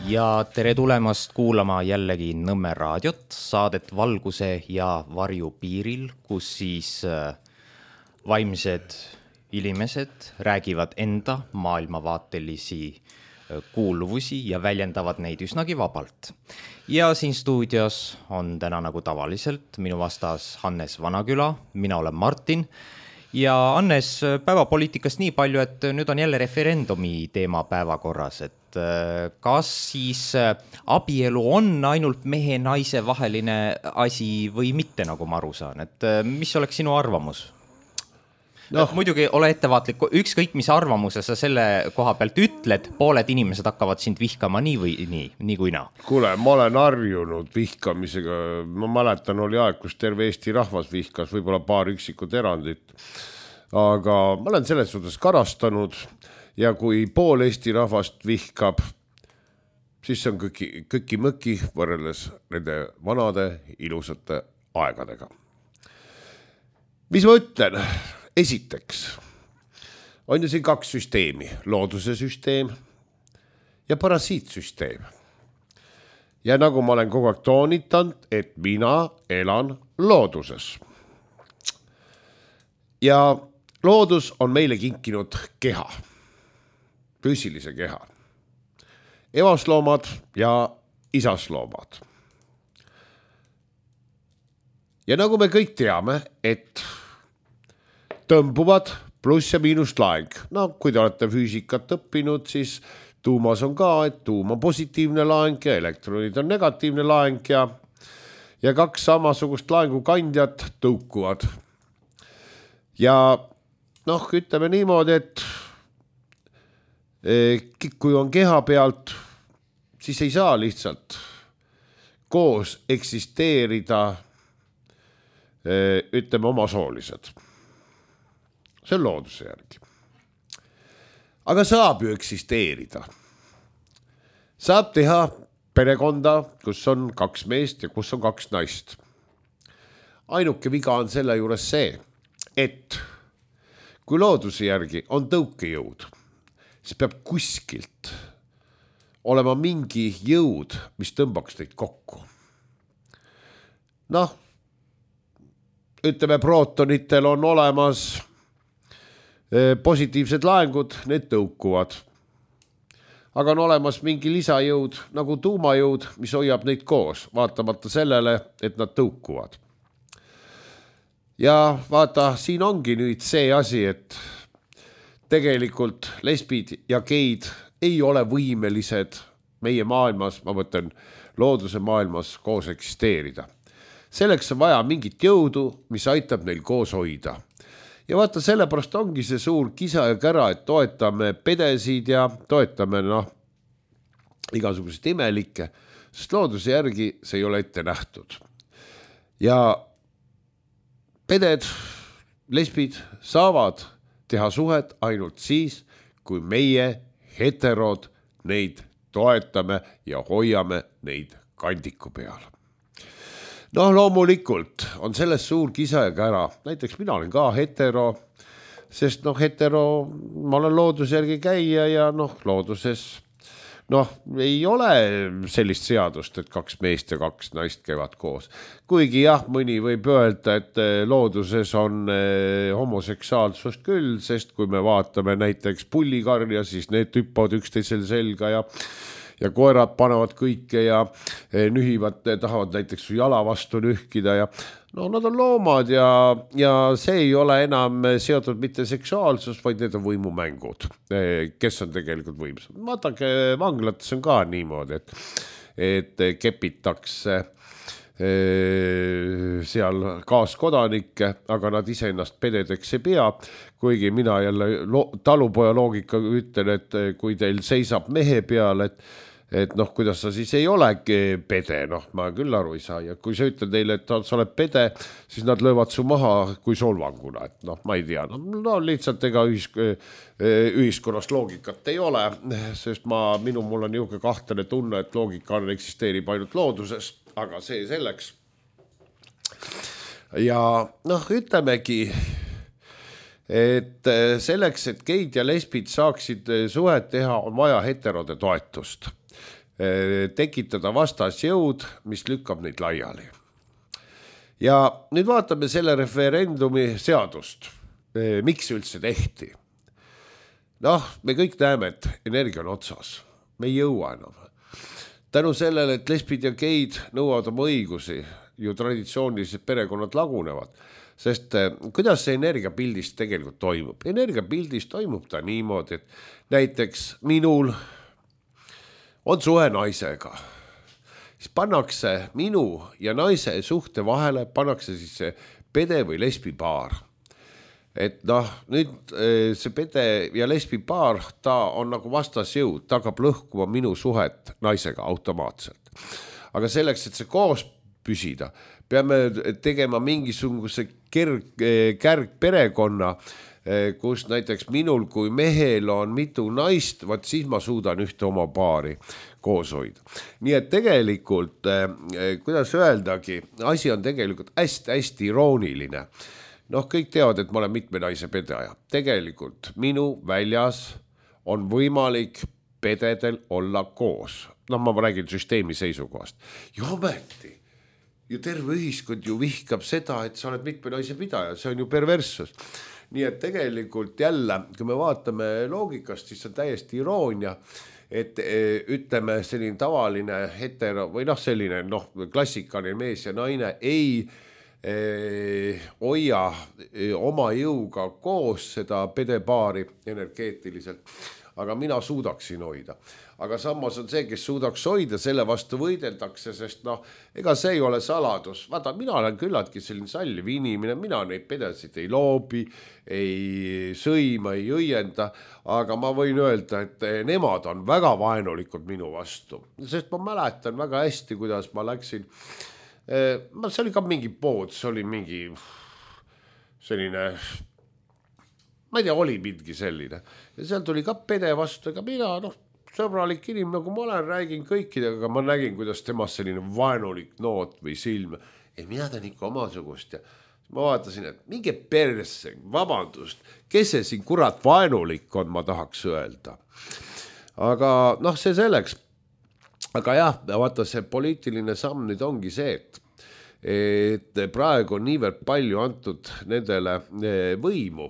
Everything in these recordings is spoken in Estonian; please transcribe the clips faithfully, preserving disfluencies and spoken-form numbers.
Ja tere tulemast kuulama jällegi Nõmme raadiot, saadet Valguse ja varju piiril, kus siis vaimsed inimesed räägivad enda maailmavaatelisi kuuluvusi ja väljendavad neid üsnagi vabalt. Ja siin stuudios on täna nagu tavaliselt minu vastas Hannes Vanaküla, mina olen Martin. Ja Hannes, päevapoliitikast nii palju, et nüüd on jälle referendumi teema päevakorras, et kas siis abielu on ainult mehe naise vaheline asi või mitte, nagu ma aru saan, et mis oleks sinu arvamus? No. Muidugi ole ettevaatlik, ükskõik mis arvamuse sa selle koha pealt ütled, pooled inimesed hakkavad sind vihkama nii või nii, nii kui naa. Kuule, ma olen harjunud vihkamisega, ma mäletan, oli aeg, kus terve Eesti rahvas vihkas, võib-olla paar üksikut erandit, aga ma olen selles suhtes karastanud ja kui pool Eesti rahvast vihkab, siis see on kõiki, kõiki mõki võrreldes nende vanade ilusate aegadega. Mis ma ütlen? Esiteks on ju siin kaks süsteemi, looduse süsteem ja parasiitsüsteem. Ja nagu ma olen kogu aeg toonitanud, et mina elan looduses. Ja loodus on meile kinkinud keha, füüsilise keha. Evasloomad ja isasloomad. Ja nagu me kõik teame, et tõmbuvad pluss ja miinus laeng. No kui te olete füüsikat õppinud, siis tuumas on ka, et tuum on positiivne laeng ja elektronid on negatiivne laeng ja, ja kaks samasugust laengukandjat tõukuvad. Ja noh, ütleme niimoodi, et kui on keha pealt, siis ei saa lihtsalt koos eksisteerida, ütleme, omasoolised. See on looduse järgi. Aga saab ju eksisteerida. Saab teha perekonda, kus on kaks meest ja kus on kaks naist. Ainuke viga on selle juures see, et kui looduse järgi on tõukejõud, siis peab kuskilt olema mingi jõud, mis tõmbaks teid kokku. Noh, ütleme, prootonitel on olemas positiivsed laengud, need tõukuvad. Aga on olemas mingi lisajõud, nagu tuumajõud, mis hoiab neid koos, vaatamata sellele, et nad tõukuvad. Ja vaata, siin ongi nüüd see asi, et tegelikult lesbid ja geid ei ole võimelised meie maailmas, ma mõtlen looduse maailmas koos eksisteerida. Selleks on vaja mingit jõudu, mis aitab neil koos hoida. Ja vaata, sellepärast ongi see suur kisa ja kära, et toetame pedesid ja toetame noh, igasuguseid imelikke, sest looduse järgi see ei ole ette nähtud. Ja peded, lesbid saavad teha suhet ainult siis, kui meie heterod neid toetame ja hoiame neid kandiku peal. Noh, loomulikult on selles suur kisa ja kära. Näiteks mina olen ka hetero, sest noh, hetero, ma olen looduse järgi käia ja noh, looduses noh, ei ole sellist seadust, et kaks meest ja kaks naist käivad koos. Kuigi jah, mõni võib öelda, et looduses on homoseksuaalsust küll, sest kui me vaatame näiteks pullikarja, siis need hüppavad üksteisel selga ja ja koerad panevad kõike ja nühivad, tahavad näiteks jala vastu nühkida ja no nad on loomad ja, ja see ei ole enam seotud mitte seksuaalsus, vaid need on võimumängud, kes on tegelikult võimsad. Vaatake, vanglates on ka niimoodi, et, et kepitakse seal kaaskodanikke, aga nad ise ennast pededeks ei pea, kuigi mina jälle lo- talupoja loogika ütlen, et kui teil seisab mehe peal, et et noh, kuidas sa siis ei olegi pede, noh, ma küll aru ei saa. Ja kui sa ütled neile, et sa oled pede, siis nad löövad su maha kui solvanguna, et noh, ma ei tea. No, no lihtsalt ega ühisk- ühiskonnas loogikat ei ole, sest ma, minu mul on niisugune kahtlane tunne, et loogika eksisteerib ainult looduses, aga see selleks. Ja noh, ütlemegi, et selleks, et geid ja lesbid saaksid suhet teha, on vaja heterode toetust. tekitada vastasjõud, mis lükkab neid laiali. Ja nüüd vaatame selle referendumi seadust. Miks üldse tehti? Noh, me kõik näeme, et energia on otsas. Me ei jõua enam. Tänu sellele, et lesbid ja geid nõuavad oma õigusi, ju traditsioonilised perekonnad lagunevad. Sest kuidas see energiapildis tegelikult toimub? Energiapildis toimub ta niimoodi, et näiteks minul on suhe naisega. Siis pannakse minu ja naise suhte vahele, pannakse siis see pede või lesbipaar. Et noh, nüüd see pede ja lesbipaar, ta on nagu vastasjõud, ta hakkab lõhkuma minu suhet naisega automaatselt. Aga selleks, et see koos püsida, peame tegema mingisuguse kerg, kärg perekonna, kus näiteks minul kui mehel on mitu naist, vaat siis ma suudan ühte oma paari koos hoida. Nii et tegelikult, kuidas öeldagi, asi on tegelikult hästi-hästi irooniline. Noh, kõik teavad, et ma olen mitme naise pedaja. Tegelikult minu väljas on võimalik pededel olla koos. Noh, ma räägin süsteemi seisukohast. Ja ometi, ju terve ühiskond ju vihkab seda, et sa oled mitme naise pidaja. See on ju perverssus. Nii et tegelikult jälle, kui me vaatame loogikast, siis on täiesti iroonia, et ütleme selline tavaline hetero või noh, selline noh, klassikaline mees ja naine ei hoia oma jõuga koos seda pedepaari energeetiliselt, aga mina suudaksin hoida. Aga samas on see, kes suudaks hoida, selle vastu võideldakse, sest noh, ega see ei ole saladus. Vaata, mina olen küllaltki selline salliv inimene, mina neid pedesid ei loobi, ei sõima, ei õienda, aga ma võin öelda, et nemad on väga vaenulikud minu vastu, sest ma mäletan väga hästi, kuidas ma läksin. See oli ka mingi pood, see oli mingi selline, ma ei tea, oli mingi selline. Ja seal tuli ka pede vastu, ega mina, noh, sõbralik inimene, nagu ma olen, räägin kõikidega, aga ma nägin, kuidas temas selline vaenulik noot või silm. Ei, mina teen ikka omasugust ja ma vaatasin, et mingi perse, vabandust, kes see siin kurat vaenulik on, ma tahaks öelda. Aga noh, see selleks. Aga jah, vaata see poliitiline samm nüüd ongi see, et, et praegu on niivõrd palju antud nendele võimu,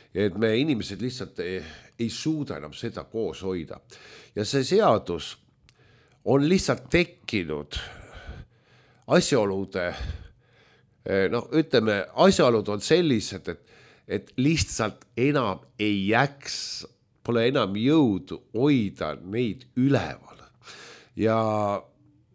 et me inimesed lihtsalt ei, ei suuda enam seda koos hoida. Ja see seadus on lihtsalt tekkinud asjaolude, no ütleme, asjaolud on sellised, et, et lihtsalt enam ei jääks, pole enam jõudu hoida neid üleval. Ja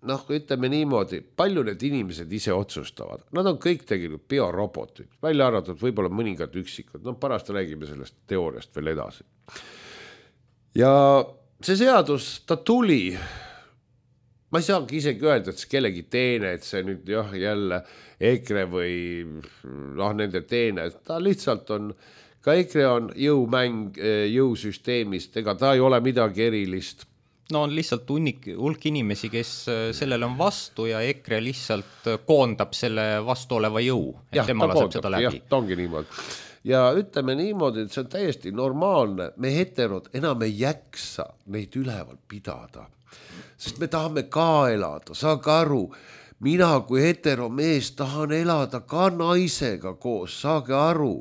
noh, ütleme niimoodi, palju need inimesed ise otsustavad. Nad on kõik tegelikult biorobotid, välja arvatud võib-olla mõningad üksikud. No pärast räägime sellest teooriast veel edasi. Ja see seadus, ta tuli, ma ei saagi isegi öelda, et see kellegi teene, et see nüüd jah, jälle EKRE või noh, nende teene, ta lihtsalt on, ka EKRE on jõumäng jõusüsteemist, ega ta ei ole midagi erilist. No on lihtsalt hunnik, hulk inimesi, kes sellele on vastu ja EKRE lihtsalt koondab selle vastu oleva jõu, et ja, tema laseb seda läbi. Jah, ta ongi niimoodi. Ja ütleme niimoodi, et see on täiesti normaalne. Me heterod enam ei jäksa neid üleval pidada, sest me tahame ka elada, saage aru. Mina kui hetero mees tahan elada ka naisega koos, saage aru.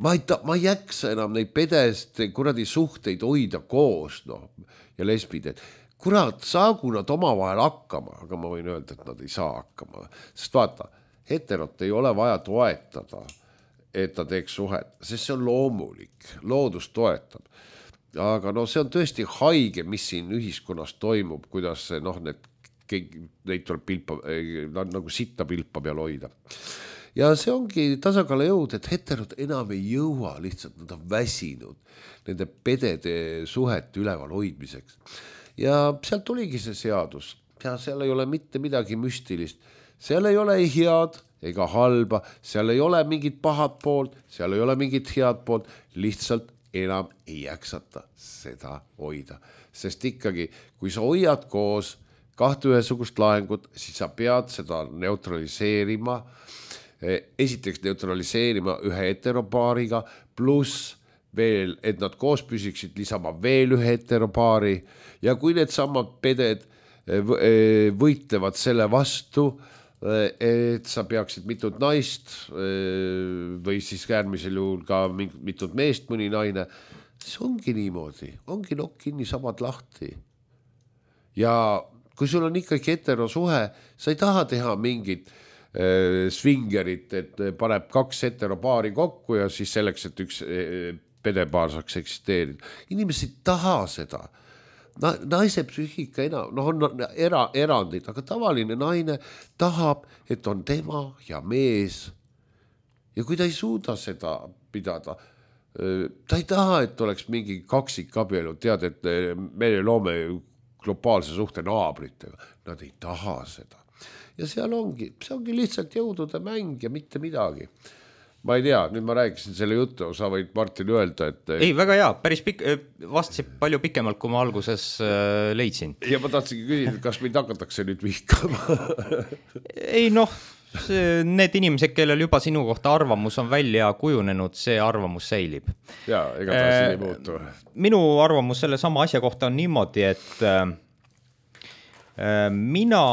Ma ei, ta, ma ei jäksa enam neid pedest kuradi suhteid hoida koos, noh. Ja lesbid, et kurat, saagu nad oma vahel hakkama, aga ma võin öelda, et nad ei saa hakkama. Sest vaata, heterot ei ole vaja toetada, et ta teeks suhet, sest see on loomulik, loodus toetab. Aga no see on tõesti haige, mis siin ühiskonnas toimub, kuidas see, noh, need, neid tuleb pilpa, nagu sitta pilpa peal hoida. Ja see ongi tasakaalu jõud, et heterod enam ei jõua, lihtsalt nad on väsinud nende pedede suhete üleval hoidmiseks. Ja sealt tuligi see seadus. Ja seal ei ole mitte midagi müstilist. Seal ei ole ei head ega halba, seal ei ole mingit pahat poolt, seal ei ole mingit head poolt, lihtsalt enam ei jäksata seda hoida. Sest ikkagi, kui sa hoiad koos kahte ühesugust laengut, siis sa pead seda neutraliseerima, esiteks neutraliseerima ühe heteropaariga, pluss veel, et nad koos püsiksid, lisama veel ühe heteropaari ja kui need samad peded võitlevad selle vastu, et sa peaksid mitut naist või siis äärmisel juhul ka mitut meest mõni naine, siis ongi niimoodi, ongi nokk kinni, samad lahti. Ja kui sul on ikkagi heterosuhe, sa ei taha teha mingit äh, svingerit, et paneb kaks heteropaari kokku ja siis selleks, et üks äh, pedepaar saaks eksisteerida. Inimesed ei taha seda. Na, naise psüühika enam, no on era, erandid, aga tavaline naine tahab, et on tema ja mees. Ja kui ta ei suuda seda pidada, ta ei taha, et oleks mingi kaksikabielu, tead, et me loome globaalse suhte naabritega. Nad ei taha seda. Ja seal ongi, see ongi lihtsalt jõudude mäng ja mitte midagi. Ma ei tea, nüüd ma rääkisin selle juttu, sa võid Martin öelda, et... Ei, väga hea, päris pik... vastasid palju pikemalt, kui ma alguses leidsin. Ja ma tahtsingi küsida, kas meid hakatakse nüüd vihkama? Ei noh, see, need inimesed, kellel juba sinu kohta arvamus on välja kujunenud, see arvamus säilib. Jaa, ega ta siin ei muutu. Minu arvamus selle sama asja kohta on niimoodi, et äh, mina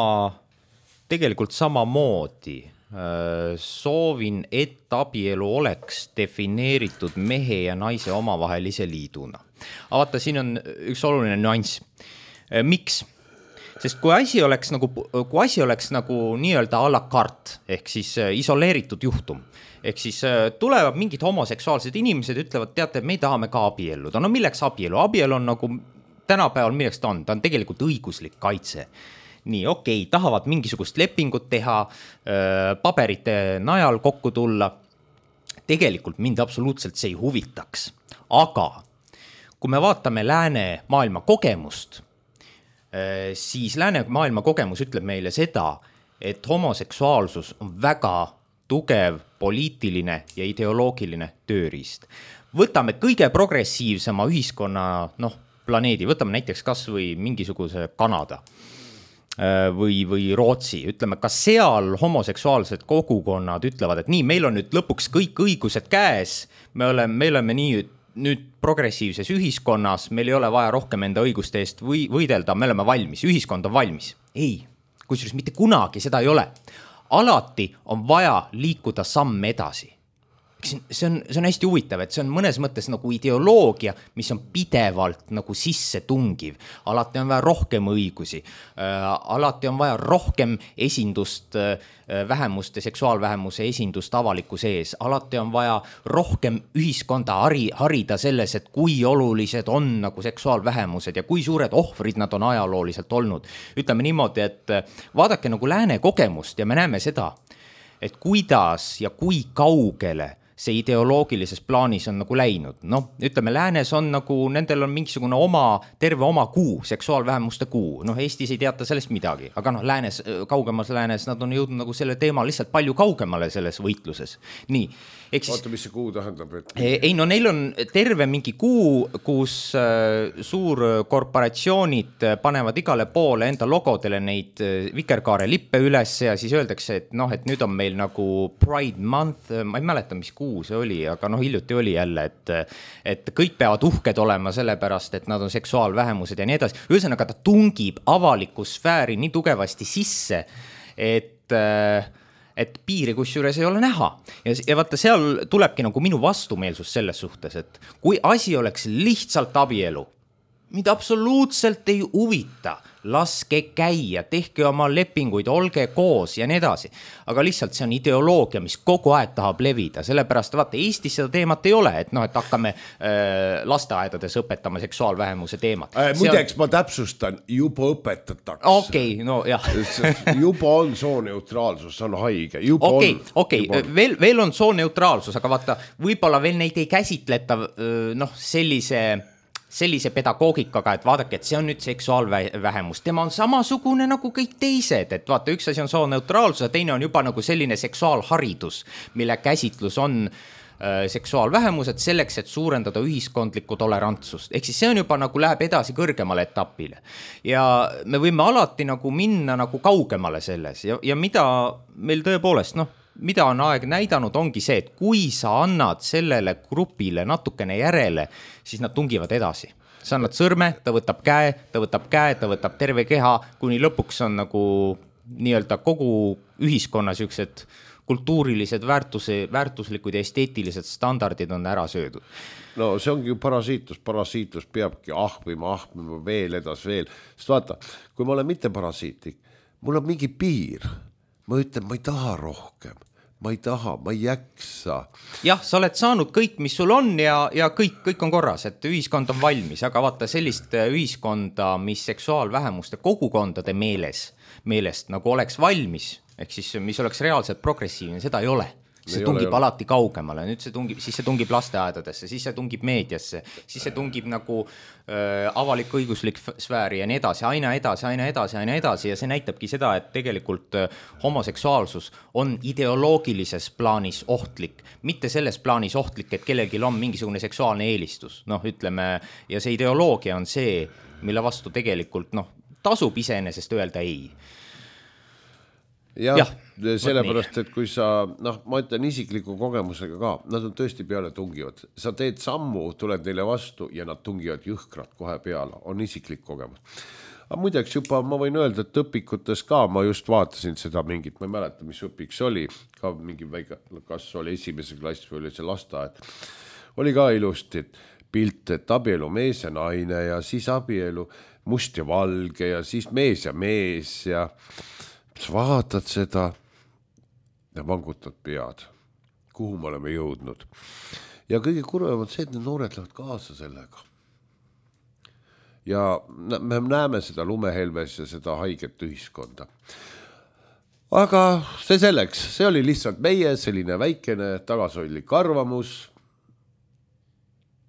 tegelikult samamoodi soovin, et abielu oleks defineeritud mehe ja naise omavahelise liiduna. Aga vaata, siin on üks oluline nüanss. Miks? Sest kui asi oleks nagu, kui asi oleks nagu nii-öelda a la carte, ehk siis isoleeritud juhtum, ehk siis tulevad mingid homoseksuaalsed inimesed, ütlevad, teate, me ei tahame ka abielluda. No milleks abielu? Abielu on nagu tänapäeval, milleks ta on? Ta on tegelikult õiguslik kaitse. Nii, okei, tahavad mingisugust lepingut teha, paberite najal kokku tulla. Tegelikult mind absoluutselt see ei huvitaks. Aga kui me vaatame lääne maailma kogemust, siis lääne maailma kogemus ütleb meile seda, et homoseksuaalsus on väga tugev poliitiline ja ideoloogiline tööriist. Võtame kõige progressiivsema ühiskonna noh, planeedi, võtame näiteks kas või mingisuguse Kanada või, või Rootsi, ütleme, ka seal homoseksuaalsed kogukonnad ütlevad, et nii, meil on nüüd lõpuks kõik õigused käes, me oleme, me oleme nii nüüd progressiivses ühiskonnas, meil ei ole vaja rohkem enda õiguste eest või, võidelda, me oleme valmis, ühiskond on valmis. Ei, kusjuures mitte kunagi seda ei ole. Alati on vaja liikuda samm edasi. See on, see on hästi huvitav, et see on mõnes mõttes nagu ideoloogia, mis on pidevalt nagu sisse tungiv. Alati on vaja rohkem õigusi, äh, alati on vaja rohkem esindust, äh, vähemuste, seksuaalvähemuse esindust avalikkuse ees. Alati on vaja rohkem ühiskonda hari, harida selles, et kui olulised on nagu seksuaalvähemused ja kui suured ohvrid nad on ajalooliselt olnud. Ütleme niimoodi, et vaadake nagu lääne kogemust ja me näeme seda, et kuidas ja kui kaugele see ideoloogilises plaanis on nagu läinud. Noh, ütleme, läänes on nagu, nendel on mingisugune oma, terve oma kuu, seksuaalvähemuste kuu. Noh, Eestis ei teata sellest midagi, aga noh, läänes, kaugemas läänes nad on jõudnud nagu selle teema lihtsalt palju kaugemale selles võitluses. Nii. Siis, oota, mis see kuu tähendab? Et... Ei, no neil on terve mingi kuu, kus äh, suurkorporatsioonid panevad igale poole enda logodele neid vikerkaare lippe üles ja siis öeldakse, et noh, et nüüd on meil nagu Pride Month, ma ei mäleta, mis kuu see oli, aga noh, hiljuti oli jälle, et, et kõik peavad uhked olema sellepärast, et nad on seksuaalvähemused ja nii edasi. Ühesõnaga, ta tungib avaliku sfääri nii tugevasti sisse, et... Äh, et piiri kusjuures ei ole näha. Ja, ja vaata, seal tulebki nagu minu vastumeelsus selles suhtes, et kui asi oleks lihtsalt abielu, mida absoluutselt ei huvita, laske käia, tehke oma lepinguid, olge koos ja nii edasi. Aga lihtsalt see on ideoloogia, mis kogu aeg tahab levida, sellepärast vaata, Eestis seda teemat ei ole, et noh, et hakkame äh, lasteaedades õpetama seksuaalvähemuse teemat. Äh, muideks on... ma täpsustan, juba õpetatakse. Okei, okay, no jah. juba on sooneutraalsus, see on haige. Okei, okei, veel, veel on sooneutraalsus, aga vaata, võib-olla veel neid ei käsitleta noh, sellise... sellise pedagoogikaga, et vaadake, et see on nüüd seksuaalvähemus. Tema on samasugune nagu kõik teised, et vaata, üks asi on sooneutraalsus, teine on juba nagu selline seksuaalharidus, mille käsitlus on äh, seksuaalvähemused selleks, et suurendada ühiskondlikku tolerantsust. Ehk siis see on juba nagu läheb edasi kõrgemale etapile. Ja me võime alati nagu minna nagu kaugemale selles ja, ja mida meil tõepoolest, noh, mida on aeg näidanud, ongi see, et kui sa annad sellele grupile natukene järele, siis nad tungivad edasi. Sa annad sõrme, ta võtab käe, ta võtab käe, ta võtab terve keha, kuni lõpuks on nagu nii-öelda kogu ühiskonna siuksed kultuurilised väärtuse, väärtuslikud ja esteetilised standardid on ära söödud. No see ongi ju parasiitlus, parasiitlus peabki ahmima, ahmima veel edas veel. Sest vaata, kui ma olen mitte parasiitlik, mul on mingi piir. Ma ütlen, ma ei taha rohkem, ma ei taha, ma ei jaksa. Jah, sa oled saanud kõik, mis sul on ja, ja kõik, kõik on korras, et ühiskond on valmis, aga vaata sellist ühiskonda, mis seksuaalvähemuste kogukondade meeles, meelest nagu oleks valmis, ehk siis mis oleks reaalselt progressiivne, seda ei ole. See ei tungib ole, alati kaugemale, nüüd see tungib, siis see tungib lasteaedadesse, siis see tungib meediasse, siis see tungib nagu äh, avalik õiguslik sfääri ja nii edasi, aina edasi, aina edasi, aina edasi ja see näitabki seda, et tegelikult äh, homoseksuaalsus on ideoloogilises plaanis ohtlik, mitte selles plaanis ohtlik, et kellelgi on mingisugune seksuaalne eelistus, noh ütleme, ja see ideoloogia on see, mille vastu tegelikult noh, tasub iseenesest öelda ei. Jah, ja, sellepärast, et kui sa, noh, ma ütlen isikliku kogemusega ka, nad on tõesti peale tungivad. Sa teed sammu, tuled neile vastu ja nad tungivad jõhkrad kohe peale. On isiklik kogemus. Aga muideks juba ma võin öelda, et õpikutes ka, ma just vaatasin seda mingit, ma ei mäleta, mis õpiks oli, ka mingi väike, kas oli esimese klass või oli see lasteaed. Oli ka ilusti pilt, et abielu mees ja naine ja siis abielu must ja valge ja siis mees ja mees ja sa vaatad seda ja vangutad pead, kuhu me oleme jõudnud. Ja kõige kurvem on see, et need noored lähevad kaasa sellega. Ja me näeme seda lumehelves ja seda haiget ühiskonda. Aga see selleks, see oli lihtsalt meie selline väikene tagasoidlik arvamus.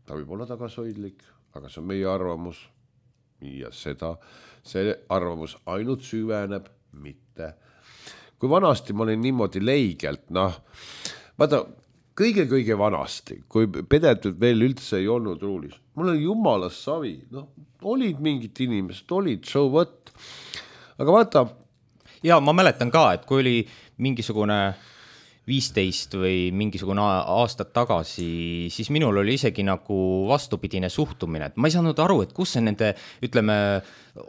Ta võib olla tagasoidlik, aga see on meie arvamus. Ja seda, see arvamus ainult süveneb mitte. Kui vanasti ma olin niimoodi leigelt, noh, vaata, kõige-kõige vanasti, kui pedetud veel üldse ei olnud ruulis, mul oli jumalas savi, noh, olid mingid inimesed, olid so what, aga vaata. Ja ma mäletan ka, et kui oli mingisugune viisteist või mingisugune aastat tagasi, siis minul oli isegi nagu vastupidine suhtumine, et ma ei saanud aru, et kus see nende, ütleme,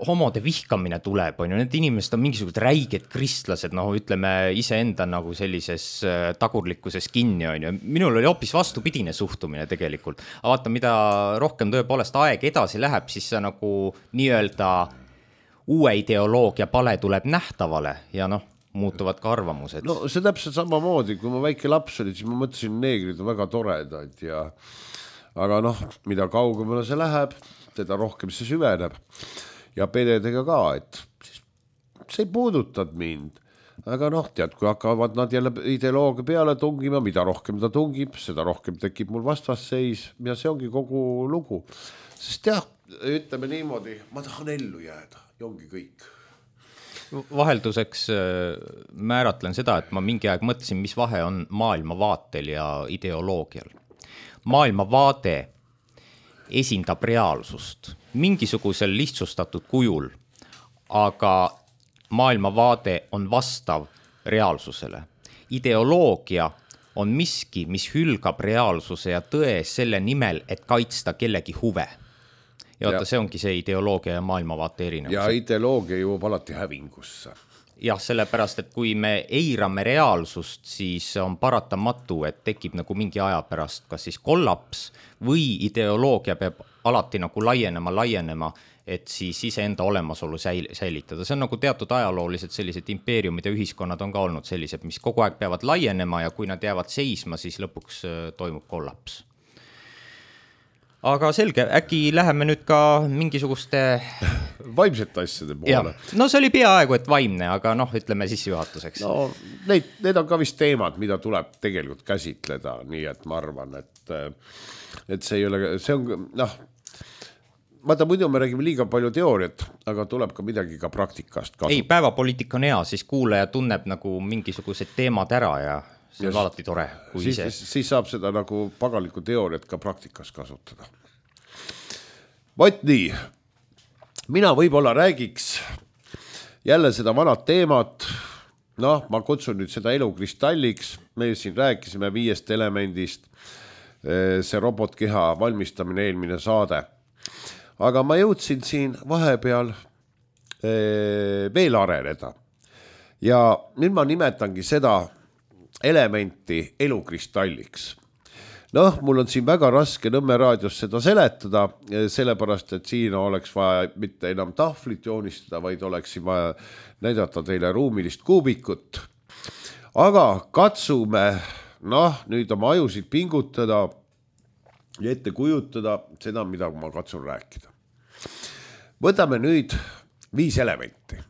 homode vihkamine tuleb, on ju, need inimesed on mingisugused räiged kristlased, noh, ütleme, iseenda nagu sellises tagurlikkuses kinni, on ju, minul oli hoopis vastupidine suhtumine tegelikult, aga vaata, mida rohkem tõepoolest aeg edasi läheb, siis see nagu nii-öelda uue ideoloogia pale tuleb nähtavale ja noh, muutuvad ka arvamused. No see täpselt samamoodi, kui ma väike laps oli, siis ma mõtlesin, neegrid on väga toredad ja aga noh, mida kaugemale see läheb, teda rohkem see süveneb ja pededega ka, et see ei puudutad mind, aga noh, tead, kui hakkavad nad jälle ideoloogia peale tungima, mida rohkem ta tungib, seda rohkem tekib mul vastasseis ja see ongi kogu lugu, sest jah, ütleme niimoodi, ma tahan ellu jääda ja ongi kõik. Vahelduseks määratlen seda, et ma mingi aeg mõtlesin, mis vahe on maailmavaatel ja ideoloogial. Maailmavaade esindab reaalsust mingisugusel lihtsustatud kujul, aga maailmavaade on vastav reaalsusele. Ideoloogia on miski, mis hülgab reaalsuse ja tõe selle nimel, et kaitsta kellegi huve. Ja vaata, see ongi see ideoloogia ja maailmavaate erinevus. Ja ideoloogia jõuab alati hävingusse. Jah, sellepärast, et kui me eirame reaalsust, siis on paratamatu, et tekib nagu mingi aja pärast kas siis kollaps või ideoloogia peab alati nagu laienema, laienema, et siis iseenda olemasolu säilitada. See on nagu teatud ajaloolised sellised impeeriumid ja ühiskonnad on ka olnud sellised, mis kogu aeg peavad laienema ja kui nad jäävad seisma, siis lõpuks toimub kollaps. Aga selge, äkki läheme nüüd ka mingisuguste vaimsete asjade poole. No see oli peaaegu, et vaimne, aga noh, ütleme sissejuhatuseks. No need, need on ka vist teemad, mida tuleb tegelikult käsitleda, nii et ma arvan, et, et see ei ole, see on, noh, vaata, muidu me räägime liiga palju teooriat, aga tuleb ka midagi ka praktikast kasu. Ei, päevapoliitika on hea, siis kuulaja tunneb nagu mingisugused teemad ära ja see on alati tore. Kui siis, siis, siis saab seda nagu pagaliku teooriat ka praktikas kasutada. Vot nii, mina võib-olla räägiks jälle seda vanad teemat, noh, ma kutsun nüüd seda elukristalliks, me siin rääkisime viiest elemendist, see robotkeha valmistamine eelmine saade. Aga ma jõudsin siin vahepeal veel areneda. Ja nüüd ma nimetangi seda elementi elukristalliks. Noh, mul on siin väga raske Nõmme raadios seda seletada, sellepärast, et siin oleks vaja mitte enam tahvlit joonistada, vaid oleks vaja näidata teile ruumilist kuubikut. Aga katsume, noh, nüüd oma ajusid pingutada ja ette kujutada seda, mida ma katsun rääkida. Võtame nüüd viis elementi,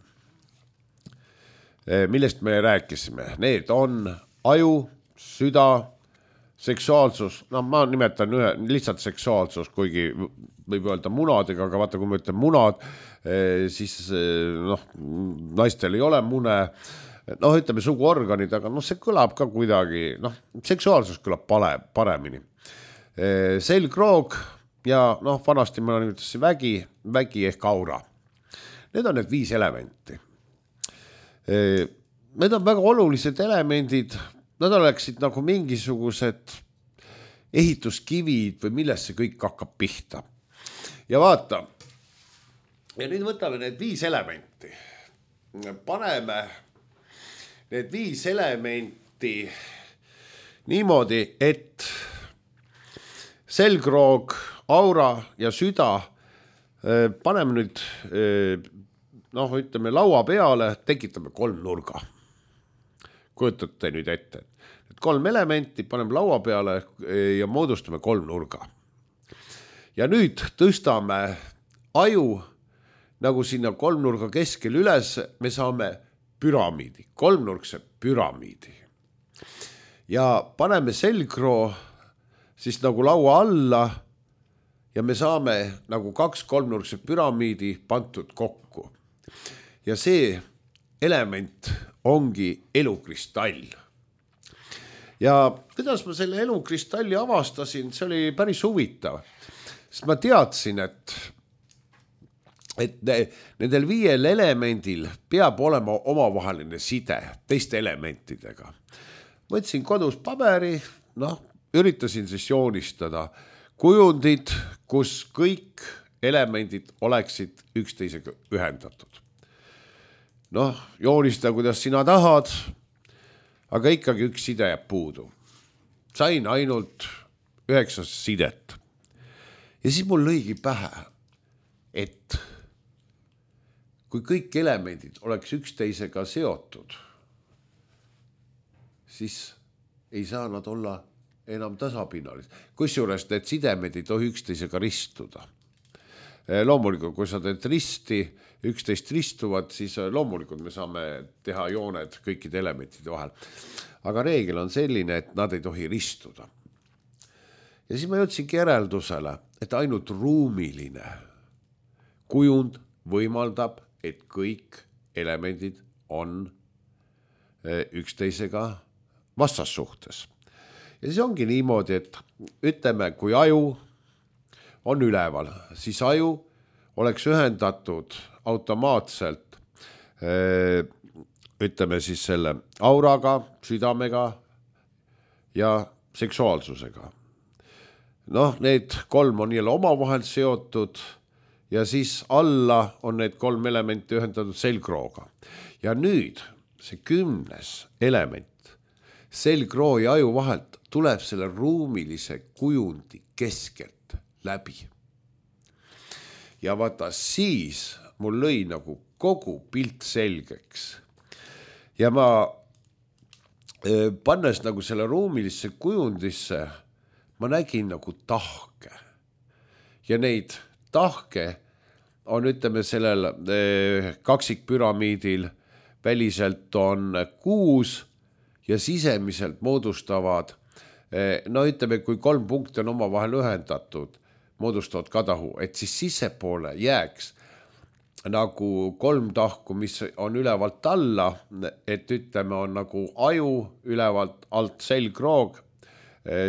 millest me rääkisime. Need on aju, süda, seksuaalsus, no ma nimetan ühe, lihtsalt seksuaalsus, kuigi võib öelda munadega, aga vaata, kui ma ütlen munad, siis noh, naistel ei ole mune, noh, ütleme suguorganid, aga noh, see kõlab ka kuidagi, noh, seksuaalsus kõlab pale, paremini. Selgroog ja noh, vanasti ma nimetasin vägi, vägi ehk aura. Need on need viis elementi. Need on väga olulised elemendid. Nad oleksid nagu mingisugused ehituskivid või millest see kõik hakkab pihta. Ja vaata, ja nüüd võtame need viis elementi. Paneme need viis elementi niimoodi, et selgroog, aura ja süda paneme nüüd, noh, ütleme laua peale, tekitame kolm nurga. Kujutate nüüd ette. Et kolm elementi paneme laua peale ja moodustame kolm nurga. Ja nüüd tõstame aju nagu sinna kolmnurga keskel üles, me saame püramiidi, kolmnurkse püramiidi. Ja paneme selgroo siis nagu laua alla ja me saame nagu kaks kolmnurkse püramiidi pantud kokku. Ja see element ongi elukristall. Ja kuidas ma selle elukristalli avastasin, see oli päris huvitav. Sest ma teadsin, et, et nendel viiel elemendil peab olema omavaheline side teiste elementidega. Võtsin kodus paberi, noh, üritasin siis joonistada kujundid, kus kõik elemendid oleksid üksteisega ühendatud. Noh, joonista, kuidas sina tahad, aga ikkagi üks side jääb puudu. Sain ainult üheksa sidet. Ja siis mul lõigi pähe, et kui kõik elemendid oleks üksteisega seotud, siis ei saa nad olla enam tasapinnalis. Kusjuures need sidemed ei tohi üksteisega ristuda. Loomulikult, kui sa teed risti, üksteist ristuvad, siis loomulikult me saame teha jooned kõikide elementide vahel. Aga reegel on selline, et nad ei tohi ristuda. Ja siis ma jõudsingi järeldusele, et ainult ruumiline kujund võimaldab, et kõik elemendid on üksteisega vastassuhtes. Ja siis ongi niimoodi, et ütleme, kui aju on üleval, siis aju oleks ühendatud automaatselt, ütleme siis selle auraga, südamega ja seksuaalsusega. Noh, need kolm on jälle omavahel seotud ja siis alla on need kolm elementi ühendatud selgrooga. Ja nüüd see kümnes element selgroo ja aju vahelt tuleb selle ruumilise kujundi keskelt läbi. Ja vaata siis mul lõi nagu kogu pilt selgeks. Ja ma pannes nagu selle ruumilisse kujundisse, ma nägin nagu tahke. Ja neid tahke on, ütleme, sellel kaksikpüramiidil väliselt on kuus ja sisemiselt moodustavad, no ütleme, kui kolm punkti on omavahel ühendatud, moodustavad kadahu, et siis sissepoole jääks nagu kolm tahku, mis on ülevalt alla, et ütleme, on nagu aju ülevalt alt selgroog,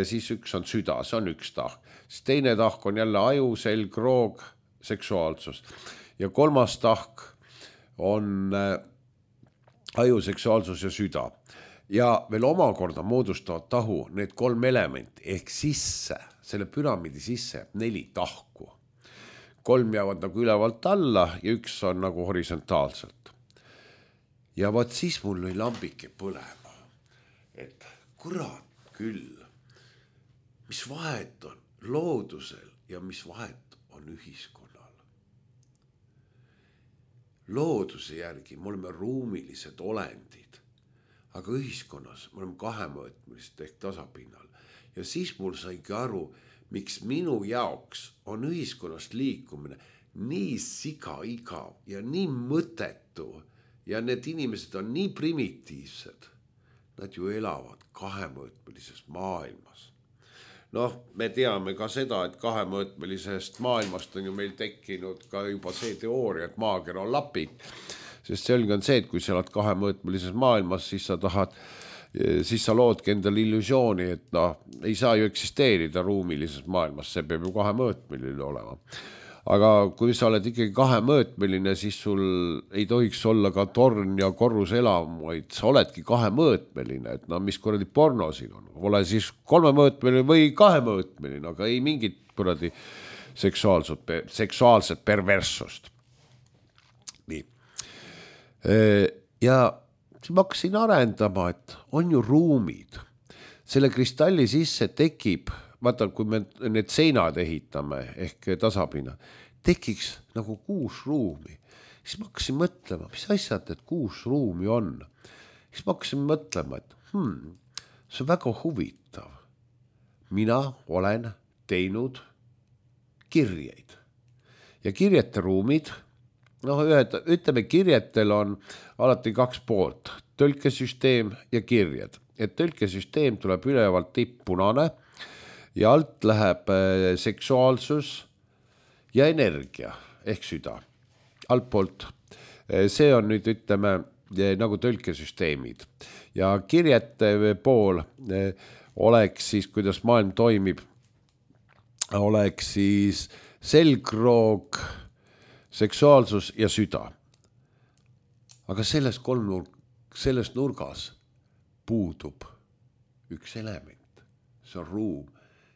siis üks on süda, see on üks tahk. Siis teine tahk on jälle aju, selgroog, seksuaalsus. Ja kolmas tahk on aju, seksuaalsus ja süda. Ja veel omakorda moodustavad tahu need kolm elementi ehk sisse, selle püramiidi sisse jääb neli tahku. Kolm jäävad nagu ülevalt alla ja üks on nagu horisontaalselt. Ja vaat siis mul lõi lambike põlema, et kurat küll, mis vahet on loodusel ja mis vahet on ühiskonnal. Looduse järgi me oleme ruumilised olendid, aga ühiskonnas me oleme kahemõõtmelised ehk tasapinnal. Ja siis mul saingi aru, miks minu jaoks on ühiskonnast liikumine nii siga igav ja nii mõttetu ja need inimesed on nii primitiivsed. Nad ju elavad kahemõõtmelises maailmas. Noh, me teame ka seda, et kahemõõtmelisest maailmast on ju meil tekkinud ka juba see teooria, et maakera on lapik. Sest selge on see, et kui sa oled kahemõõtmelises maailmas, siis sa tahad, siis sa loodki endale illusiooni, et noh, ei saa ju eksisteerida ruumilises maailmas, see peab ju kahemõõtmeline olema. Aga kui sa oled ikkagi kahemõõtmeline, siis sul ei tohiks olla ka torn ja korruselav, vaid sa oledki kahemõõtmeline, et no mis kuradi porno siin on. Ole siis kolmemõõtmeline või kahemõõtmeline, aga ei mingit kuradi seksuaalset, seksuaalset perverssust. Nii. Ja ma hakkasin arendama, et on ju ruumid. Selle kristalli sisse tekib, vaata, kui me need seinad ehitame ehk tasapinna, tekiks nagu kuus ruumi. Siis ma hakkasin mõtlema, mis asjad need kuus ruumi on. Siis ma hakkasin mõtlema, et hmm, see on väga huvitav. Mina olen teinud kirjeid. Ja kirjete ruumid, noh, ütleme, kirjetel on alati kaks poolt, tõlkesüsteem ja kirjed. Et tõlkesüsteem tuleb ülevalt tipppunane ja alt läheb seksuaalsus ja energia ehk süda. Altpoolt. See on nüüd, ütleme, nagu tõlkesüsteemid. Ja kirjete pool oleks siis, kuidas maailm toimib, oleks siis selgroog, seksuaalsus ja süda. Aga selles, kolm, selles nurgas puudub üks element. See on ruum.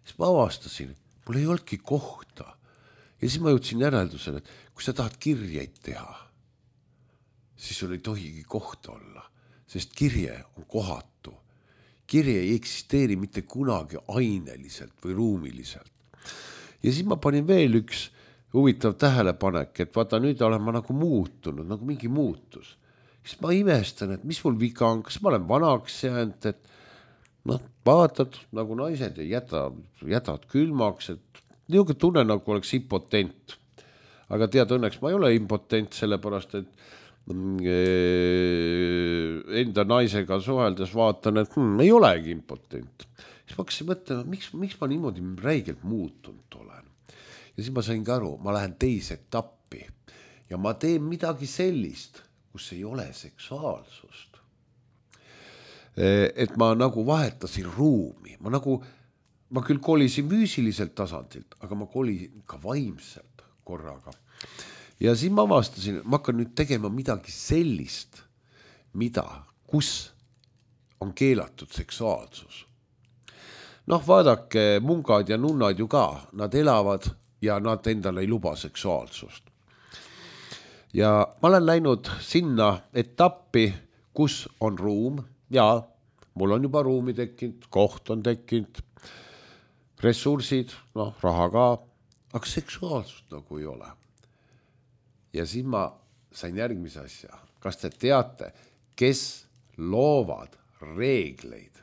Siis ma avastasin, mul ei olnudki kohta. Ja siis ma jõudsin järeldusele, et kui sa tahad kirjeid teha, siis sul ei tohigi kohta olla, sest kirje on kohatu. Kirje ei eksisteeri mitte kunagi aineliselt või ruumiliselt. Ja siis ma panin veel üks huvitav tähelepanek, et vaata, nüüd olen ma nagu muutunud, nagu mingi muutus. Siis ma imestan, et mis mul viga on, kas ma olen vanaks jäänud, et noh, vaatad, nagu naised ei jäta, jätavad külmaks, et niisugune tunne nagu oleks impotent. Aga tead, õnneks ma ei ole impotent, sellepärast, et enda naisega suheldes vaatan, et hmm, ei olegi impotent. Siis ma hakkasin mõtlema, miks, miks ma niimoodi räigelt muutunud olen. Ja siis ma sain ka aru, ma lähen teise etappi ja ma teen midagi sellist, kus ei ole seksuaalsust. Et ma nagu vahetasin ruumi, ma nagu, ma küll kolisin füüsiliselt tasandilt, aga ma kolisin ka vaimselt korraga. Ja siis ma avastasin, et ma hakkan nüüd tegema midagi sellist, mida, kus on keelatud seksuaalsus. Noh, vaadake, mungad ja nunnad ju ka, nad elavad ja nad endale ei luba seksuaalsust. Ja ma olen läinud sinna etappi, kus on ruum. Ja mul on juba ruumi tekkinud, koht on tekkinud, ressursid, noh, raha ka, aga seksuaalsust nagu ei ole. Ja siis ma sain järgmise asja. Kas te teate, kes loovad reegleid?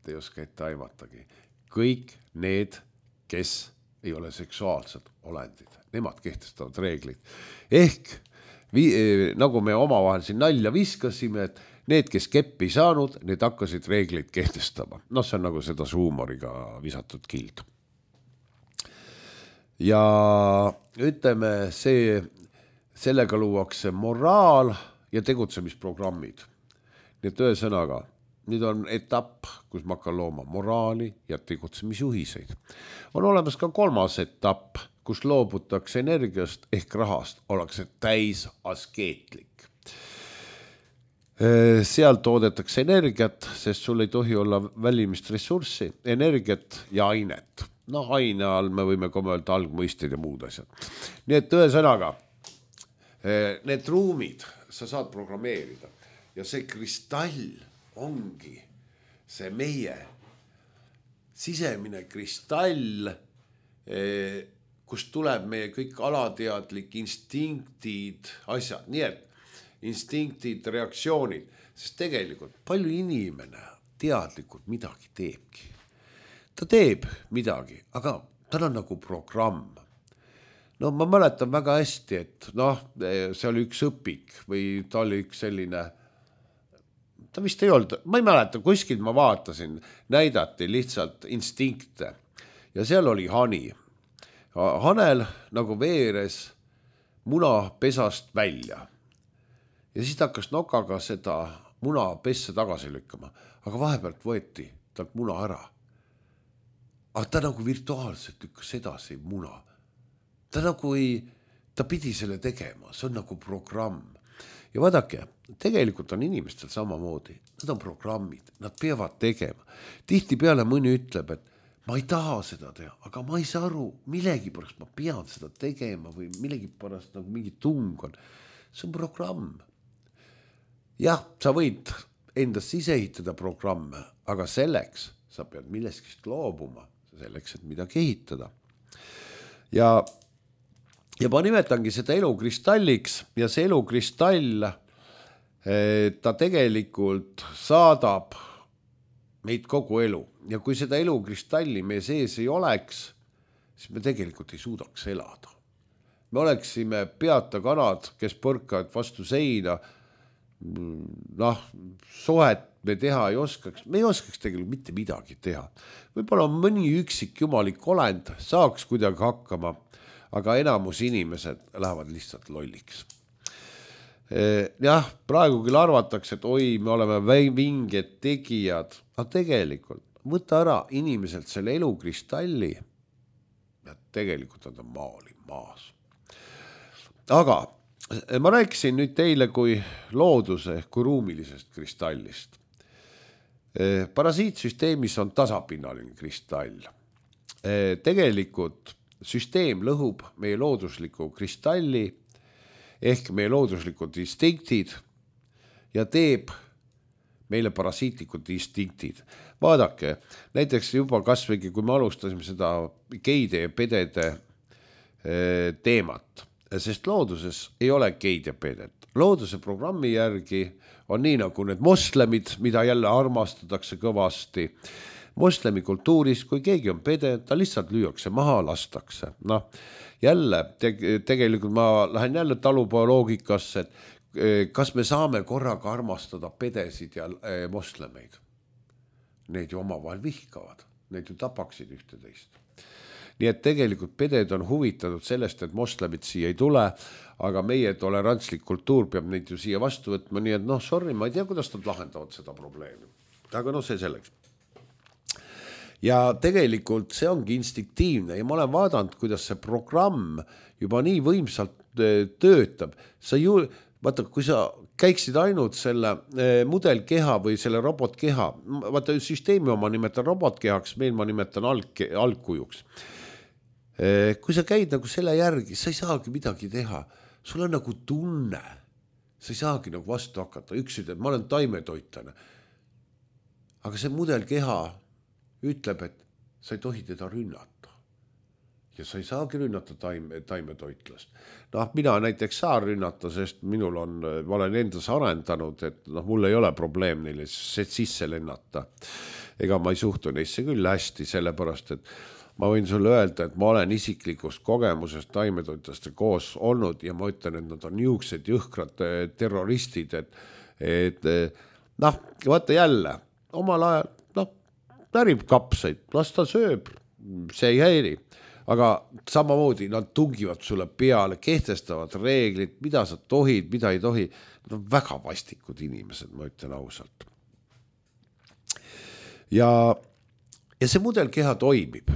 Te ei oska ette aimatagi. Kõik need, kes ei ole seksuaalsed olendid. Nemad kehtestavad reeglid. Ehk vi, nagu me omavahel siin nalja viskasime, et need, kes keppi saanud, need hakkasid reegleid kehtestama. No see on nagu seda huumoriga visatud kild. Ja ütleme, see, sellega luuakse moraal ja tegutsemisprogrammid. Nii et ühesõnaga, nüüd on etapp, kus ma hakkan looma moraali ja tegutsemisjuhiseid. On olemas ka kolmas etapp, kus loobutakse energiast ehk rahast, ollakse täis askeetlik. Seal toodetakse energiat, sest sul ei tohi olla välimist ressurssi, energiat ja ainet. No aine all me võime ka öelda algmõisted ja muud asjad. Nii et ühesõnaga, need ruumid sa saad programmeerida ja see kristall ongi see meie sisemine kristall, kust tuleb meie kõik alateadlik instinktid, asjad, nii et instinktid, reaktsioonid, sest tegelikult palju inimene teadlikult midagi teebki. Ta teeb midagi, aga tal on nagu programm. No ma mäletan väga hästi, et noh, see oli üks õpik või ta oli üks selline, ta vist ei olnud, ma ei mäleta, kuskilt ma vaatasin, näidati lihtsalt instinkte ja seal oli hani. Hanel nagu veeres muna pesast välja. Ja siis ta hakkas nokaga seda muna pesse tagasi lükkama, aga vahepealt võeti talt muna ära. Aga ta nagu virtuaalselt lükkas edasi muna. Ta nagu ei, ta pidi selle tegema, see on nagu programm. Ja vaadake, tegelikult on inimestel samamoodi, nad on programmid, nad peavad tegema. Tihti peale mõni ütleb, et ma ei taha seda teha, aga ma ei saa aru, millegi pärast ma pean seda tegema või millegi pärast nagu mingi tung on. See on programm. Jah, sa võid endast sisse ehitada programme, aga selleks sa pead milleskist loobuma, selleks, et midagi ehitada. Ja, ja ma nimetangi seda elukristalliks ja see elukristall, ta tegelikult saadab meid kogu elu. Ja kui seda elukristalli meie sees ei oleks, siis me tegelikult ei suudaks elada. Me oleksime peata kanad, kes põrkavad vastu seina, noh, sohet me teha ei oskaks, me ei oskaks tegelikult mitte midagi teha. Võib-olla mõni üksik jumalik olend saaks kuidagi hakkama, aga enamus inimesed lähevad lihtsalt lolliks. Jah, praegu küll arvatakse, et oi, me oleme vinged tegijad, aga tegelikult võta ära inimeselt selle elukristalli ja tegelikult on ta maali maas. Aga ma rääkisin nüüd teile kui looduse, kui ruumilisest kristallist. Parasiitsüsteemis on tasapinnaline kristall. Tegelikult süsteem lõhub meie loodusliku kristalli ehk meie looduslikud instinktid ja teeb meile parasiitlikud instinktid. Vaadake, näiteks juba kasvõi, kui me alustasime seda geide ja pedede teemat, sest looduses ei ole geid ja pedet. Looduse programmi järgi on nii nagu need moslemid, mida jälle armastatakse kõvasti. Moslemi kultuuris, kui keegi on pede, ta lihtsalt lüüakse maha, lastakse. Noh, jälle, te- tegelikult ma lähen jälle talupooloogikasse, et kas me saame korraga armastada pedesid ja moslemeid? Need ju omavahel vihkavad, need ju tapaksid ühteteist. Nii et tegelikult peded on huvitatud sellest, et moslemid siia ei tule, aga meie tolerantslik kultuur peab neid ju siia vastu võtma, nii et noh, sorry, ma ei tea, kuidas nad lahendavad seda probleemi. Aga noh, see selleks. Ja tegelikult see ongi instinktiivne ja ma olen vaadanud, kuidas see programm juba nii võimsalt töötab. Sa ju, vaata, kui sa käiksid ainult selle mudelkeha või selle robotkeha, vaata süsteemi oma nimetan robotkehaks, meil ma nimetan alg, algkujuks. Kui sa käid nagu selle järgi, sa ei saagi midagi teha. Sul on nagu tunne. Sa ei saagi nagu vastu hakata. Üks ütleb, ma olen taimetoitlane. Aga see mudelkeha ütleb, et sa ei tohi teda rünnata. Ja sa ei saagi rünnata taime, taimetoitlast. Noh, mina näiteks saa rünnata, sest minul on, ma olen endas arendanud, et noh, mul ei ole probleem neile sisse lennata. Ega ma ei suhtu neisse küll hästi, sellepärast, et ma võin sulle öelda, et ma olen isiklikust kogemusest taimetoitlaste koos olnud ja ma ütlen, et nad on niisugused jõhkrad terroristid, et, et noh, vaata jälle, omal ajal, noh, närib kapsaid, las ta sööb, see ei häiri, aga samamoodi nad tungivad sulle peale, kehtestavad reeglid, mida sa tohid, mida ei tohi, nad on väga vastikud inimesed, ma ütlen ausalt. Ja, ja see mudelkeha toimib.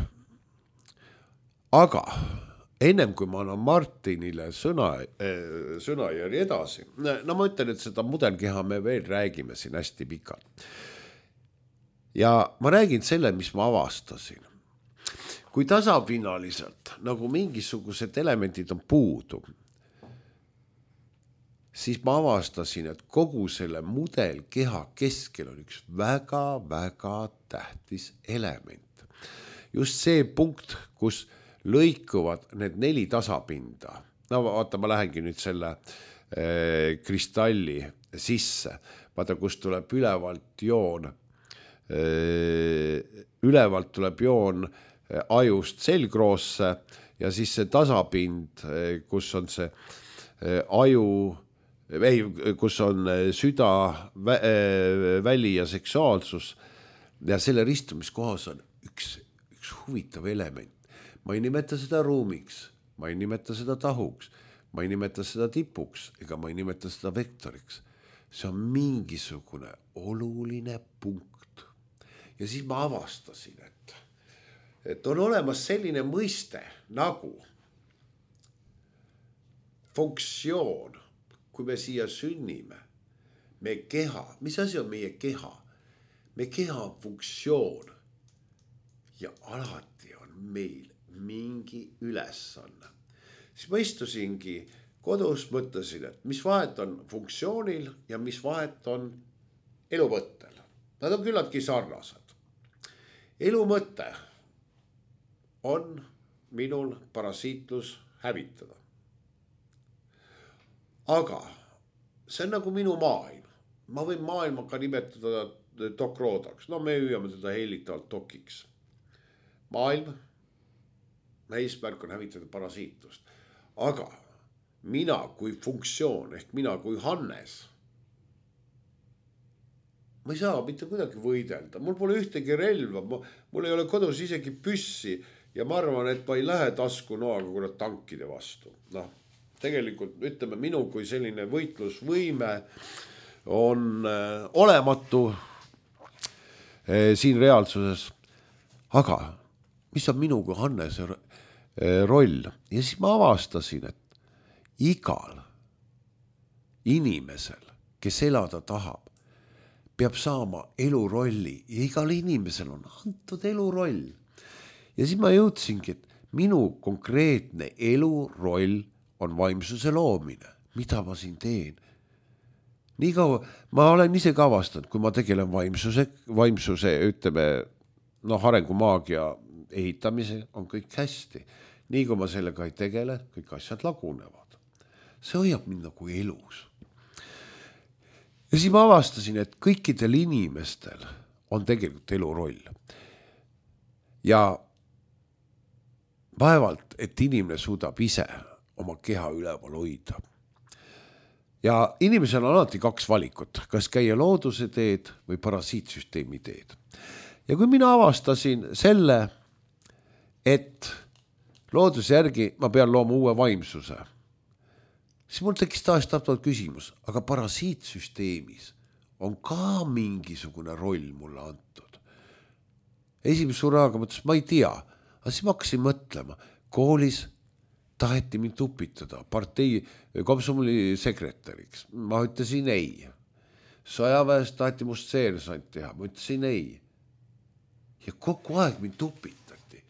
Aga ennem kui ma annan Martinile sõna, sõnajärje edasi, no ma ütlen, et seda mudelkeha me veel räägime siin hästi pikalt. Ja ma räägin selle, mis ma avastasin. Kui tasapinnaliselt nagu mingisugused elemendid on puudu, siis ma avastasin, et kogu selle mudelkeha keskel on üks väga-väga tähtis element. Just see punkt, kus lõikuvad need neli tasapinda. No vaata, ma lähengi nüüd selle äh, kristalli sisse. Vaata, kus tuleb ülevalt joon. Äh, ülevalt tuleb joon äh, ajust selgroosse ja siis see tasapind, äh, kus on see äh, aju, ei, kus on äh, süda, vä, äh, väli ja seksuaalsus ja selle ristumiskohas on üks, üks huvitav element. Ma ei nimeta seda ruumiks, ma ei nimeta seda tahuks, ma ei nimeta seda tipuks, ega ma ei nimeta seda vektoriks. See on mingisugune oluline punkt. Ja siis ma avastasin, et, et on olemas selline mõiste nagu funktsioon, kui me siia sünnime, me keha, mis asi on meie keha? Me keha on funktsioon ja alati on meil mingi ülesanne. Siis ma istusingi kodus, mõtlesin, et mis vahet on funktsioonil ja mis vahet on elumõttel. Nad on küllaltki sarnased. Elumõte on minul parasiitlus hävitada. Aga see on nagu minu maailm. Ma võin maailma ka nimetada dokroodaks. No me hüüame teda heilitavalt dokiks. Maailm eesmärk on hävitada parasiitlust. Aga mina kui funktsioon ehk mina kui Hannes, ma ei saa mitte kuidagi võidelda. Mul pole ühtegi relva, mul ei ole kodus isegi püssi ja ma arvan, et ma ei lähe tasku noaga kuna tankide vastu. Noh, tegelikult ütleme, minu kui selline võitlusvõime on äh, olematu äh, siin reaalsuses. Aga mis on minu kui Hannese roll? Ja siis ma avastasin, et igal inimesel, kes elada tahab, peab saama elurolli ja igal inimesel on antud eluroll. Ja siis ma jõudsingi, et minu konkreetne eluroll on vaimsuse loomine. Mida ma siin teen? Nii kaua, ma olen ise ka avastanud, kui ma tegelen vaimsuse, vaimsuse ütleme, no arengumaagia ehitamise on kõik hästi. Nii kui ma sellega ei tegele, kõik asjad lagunevad. See hoiab mind nagu elus. Ja siis ma avastasin, et kõikidel inimestel on tegelikult eluroll. Ja vaevalt, et inimene suudab ise oma keha üleval hoida. Ja inimesel on alati kaks valikut, kas käia looduse teed või parasiitsüsteemi teed. Ja kui mina avastasin selle, et looduse järgi ma pean looma uue vaimsuse, siis mul tekkis taas tahtvad küsimus, aga parasiitsüsteemis on ka mingisugune roll mulle antud. Esimese suraaga mõtles, ma ei tea, aga siis ma hakkasin mõtlema, koolis taheti mind upitada partei komsomoli sekretäriks. Ma ütlesin ei. Sõjaväes taheti must seersant teha, ma ütlesin ei. Ja kogu aeg mind upitati.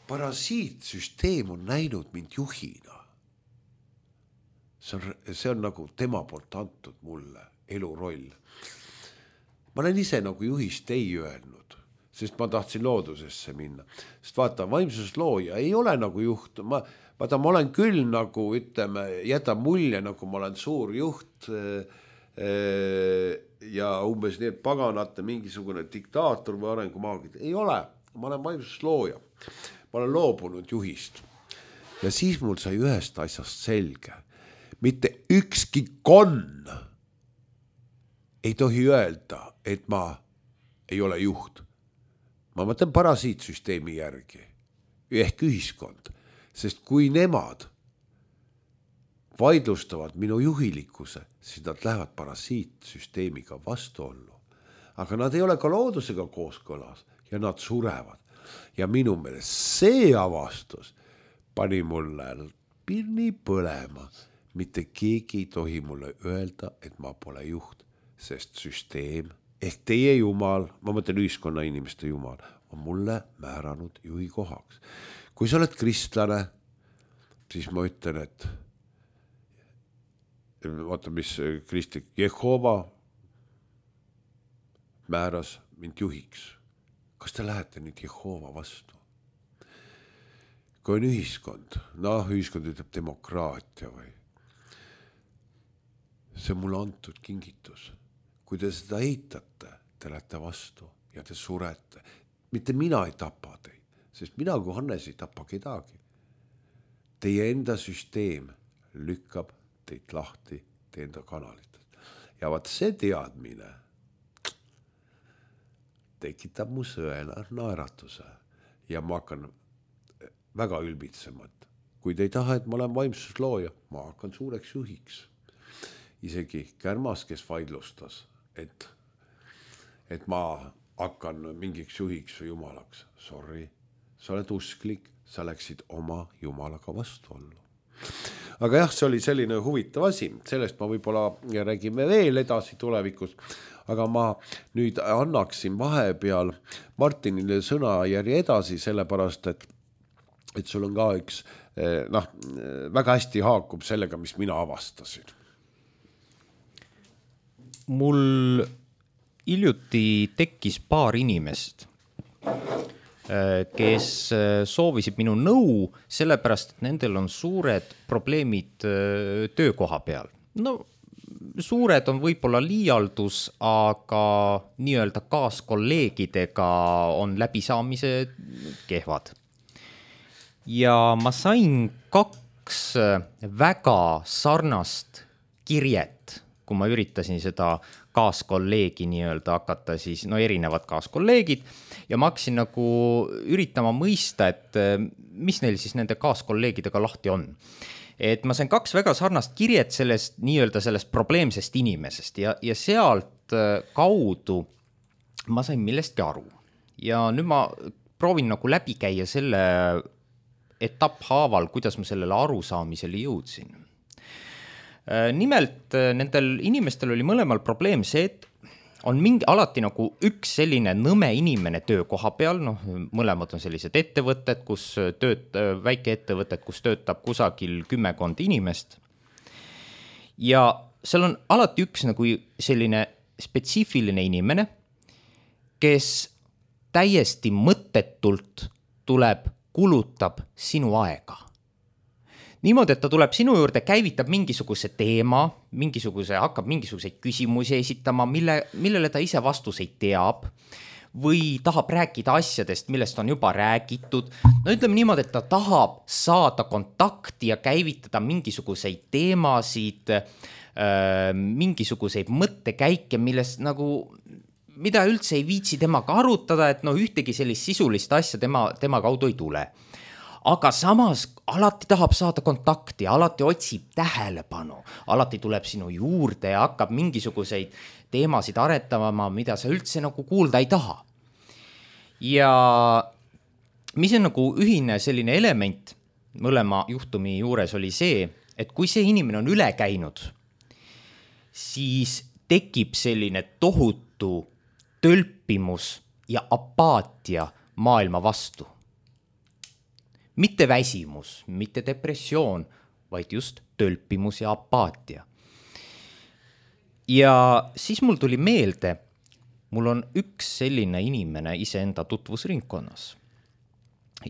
Parasiitsüsteem on näinud mind juhina. See on, see on nagu tema poolt antud mulle eluroll. Ma olen ise nagu juhist ei öelnud, sest ma tahtsin loodusesse minna. Sest vaata, vaimsuslooja ei ole nagu juht. Ma, vaata, ma olen küll nagu, ütleme, jäta mulje, nagu ma olen suur juht ja umbes need paganate mingisugune diktaator või arengumaagid. Ei ole, ma olen vaimsuslooja. Ma olen loobunud juhist. Ja siis mul sai ühest asjast selge. Mitte ükski konn ei tohi öelda, et ma ei ole juht. Ma mõtlen parasiitsüsteemi järgi. Ehk ühiskond. Sest kui nemad vaidlustavad minu juhilikkuse, siis nad lähevad parasiitsüsteemiga vastuollu. Aga nad ei ole ka loodusega kooskõlas ja nad surevad. Ja minu meelest see avastus pani mulle pirni põlema. Mitte keegi ei tohi mulle öelda, et ma pole juht, sest süsteem ehk teie jumal, ma mõtlen ühiskonna inimeste jumal, on mulle määranud juhi kohaks. Kui sa oled kristlane, siis ma ütlen, et vaata, mis kristlik Jehova määras mind juhiks. Kas te lähete nüüd Jehova vastu? Kui on ühiskond, noh, ühiskond ütleb demokraatia või see on mulle antud kingitus. Kui te seda eitate, te lähete vastu ja te surete. Mitte mina ei tapa teid, sest mina kui Hannes ei tapa kedagi. Teie enda süsteem lükkab teid lahti teie enda kanalitest. Ja vaat see teadmine tekitab mu sõela naeratuse ja ma hakkan väga ülbitsemat. Kui te ei taha, et ma olen vaimsuslooja, ma hakkan suureks juhiks. Isegi Kärmas, kes vaidlustas, et, et ma hakkan mingiks juhiks või jumalaks. Sorry, sa oled usklik, sa läksid oma jumalaga vastu ollu. Aga jah, see oli selline huvitav asi, sellest ma võib-olla räägime veel edasi tulevikus, aga ma nüüd annaksin vahepeal Martinile sõna järje edasi, sellepärast, et, et sul on ka üks, noh, väga hästi haakub sellega, mis mina avastasin. Mul hiljuti tekkis paar inimest, kes soovisid minu nõu, sellepärast, et nendel on suured probleemid töökoha peal. No, suured on võib-olla liialdus, aga nii-öelda kaaskolleegidega on läbisaamise kehvad. Ja ma sain kaks väga sarnast kirjet, kui ma üritasin seda kaaskolleegi nii-öelda hakata siis, no erinevad kaaskolleegid, ja ma hakkasin nagu üritama mõista, et mis neil siis nende kaaskolleegidega lahti on. Et ma sain kaks väga sarnast kirjet sellest nii-öelda sellest probleemsest inimesest ja, ja sealt kaudu ma sain millestki aru. Ja nüüd ma proovin nagu läbi käia selle etapphaaval, kuidas ma sellele arusaamisele jõudsin. Nimelt nendel inimestel oli mõlemal probleem see, et on mingi alati nagu üks selline nõme inimene töökoha peal, noh, mõlemad on sellised ettevõtted, kus tööt, väike ettevõtted, kus töötab kusagil kümmekond inimest. Ja seal on alati üks nagu selline spetsiifiline inimene, kes täiesti mõttetult tuleb, kulutab sinu aega. Niimoodi, et ta tuleb sinu juurde, käivitab mingisuguse teema, mingisuguse, hakkab mingisuguseid küsimusi esitama, mille, millele ta ise vastuseid teab või tahab rääkida asjadest, millest on juba räägitud. No ütleme niimoodi, et ta tahab saada kontakti ja käivitada mingisuguseid teemasid, äh, mingisuguseid mõttekäike, millest nagu, mida üldse ei viitsi temaga arutada, et no ühtegi sellist sisulist asja tema, tema kaudu ei tule. Aga samas alati tahab saada kontakti, alati otsib tähelepanu, alati tuleb sinu juurde ja hakkab mingisuguseid teemasid aretama, mida sa üldse nagu kuulda ei taha. Ja mis on nagu ühine selline element mõlema juhtumi juures oli see, et kui see inimene on üle käinud, siis tekib selline tohutu tölpimus ja apaatia maailma vastu. Mitte väsimus, mitte depressioon, vaid just tölpimus ja apaatia. Ja siis mul tuli meelde, mul on üks selline inimene iseenda tutvusringkonnas.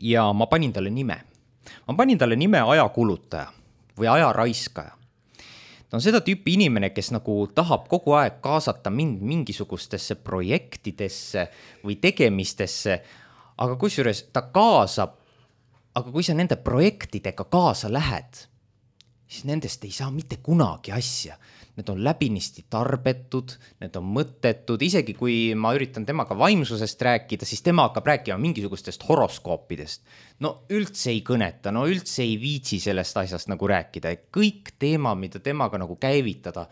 Ja ma panin talle nime. Ma panin talle nime ajakulutaja või ajaraiskaja. Ta on seda tüüpi inimene, kes nagu tahab kogu aeg kaasata mind mingisugustesse projektidesse või tegemistesse, aga kusjuures ta kaasab, aga kui sa nende projektidega kaasa lähed, siis nendest ei saa mitte kunagi asja. Need on läbinisti tarbetud, need on mõttetud, isegi kui ma üritan temaga vaimsusest rääkida, siis tema hakkab rääkima mingisugustest horoskoopidest. No üldse ei kõneta, no üldse ei viitsi sellest asjast nagu rääkida. Kõik teema, mida temaga nagu käivitada,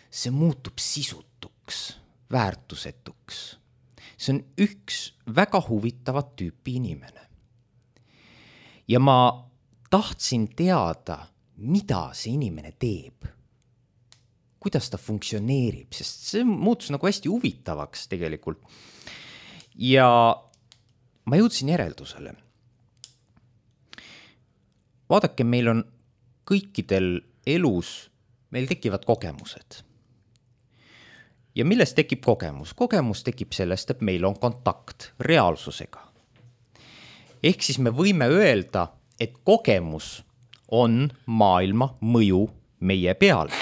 see muutub sisutuks, väärtusetuks. See on üks väga huvitavat tüüpi inimene. Ja ma tahtsin teada, mida see inimene teeb, kuidas ta funktsioneerib, sest see muutus nagu hästi huvitavaks tegelikult. Ja ma jõudsin järeldusele. Vaadake, meil on kõikidel elus, meil tekivad kogemused. Ja millest tekib kogemus? Kogemus tekib sellest, et meil on kontakt reaalsusega. Ehk siis me võime öelda, et kogemus on maailma mõju meie peal.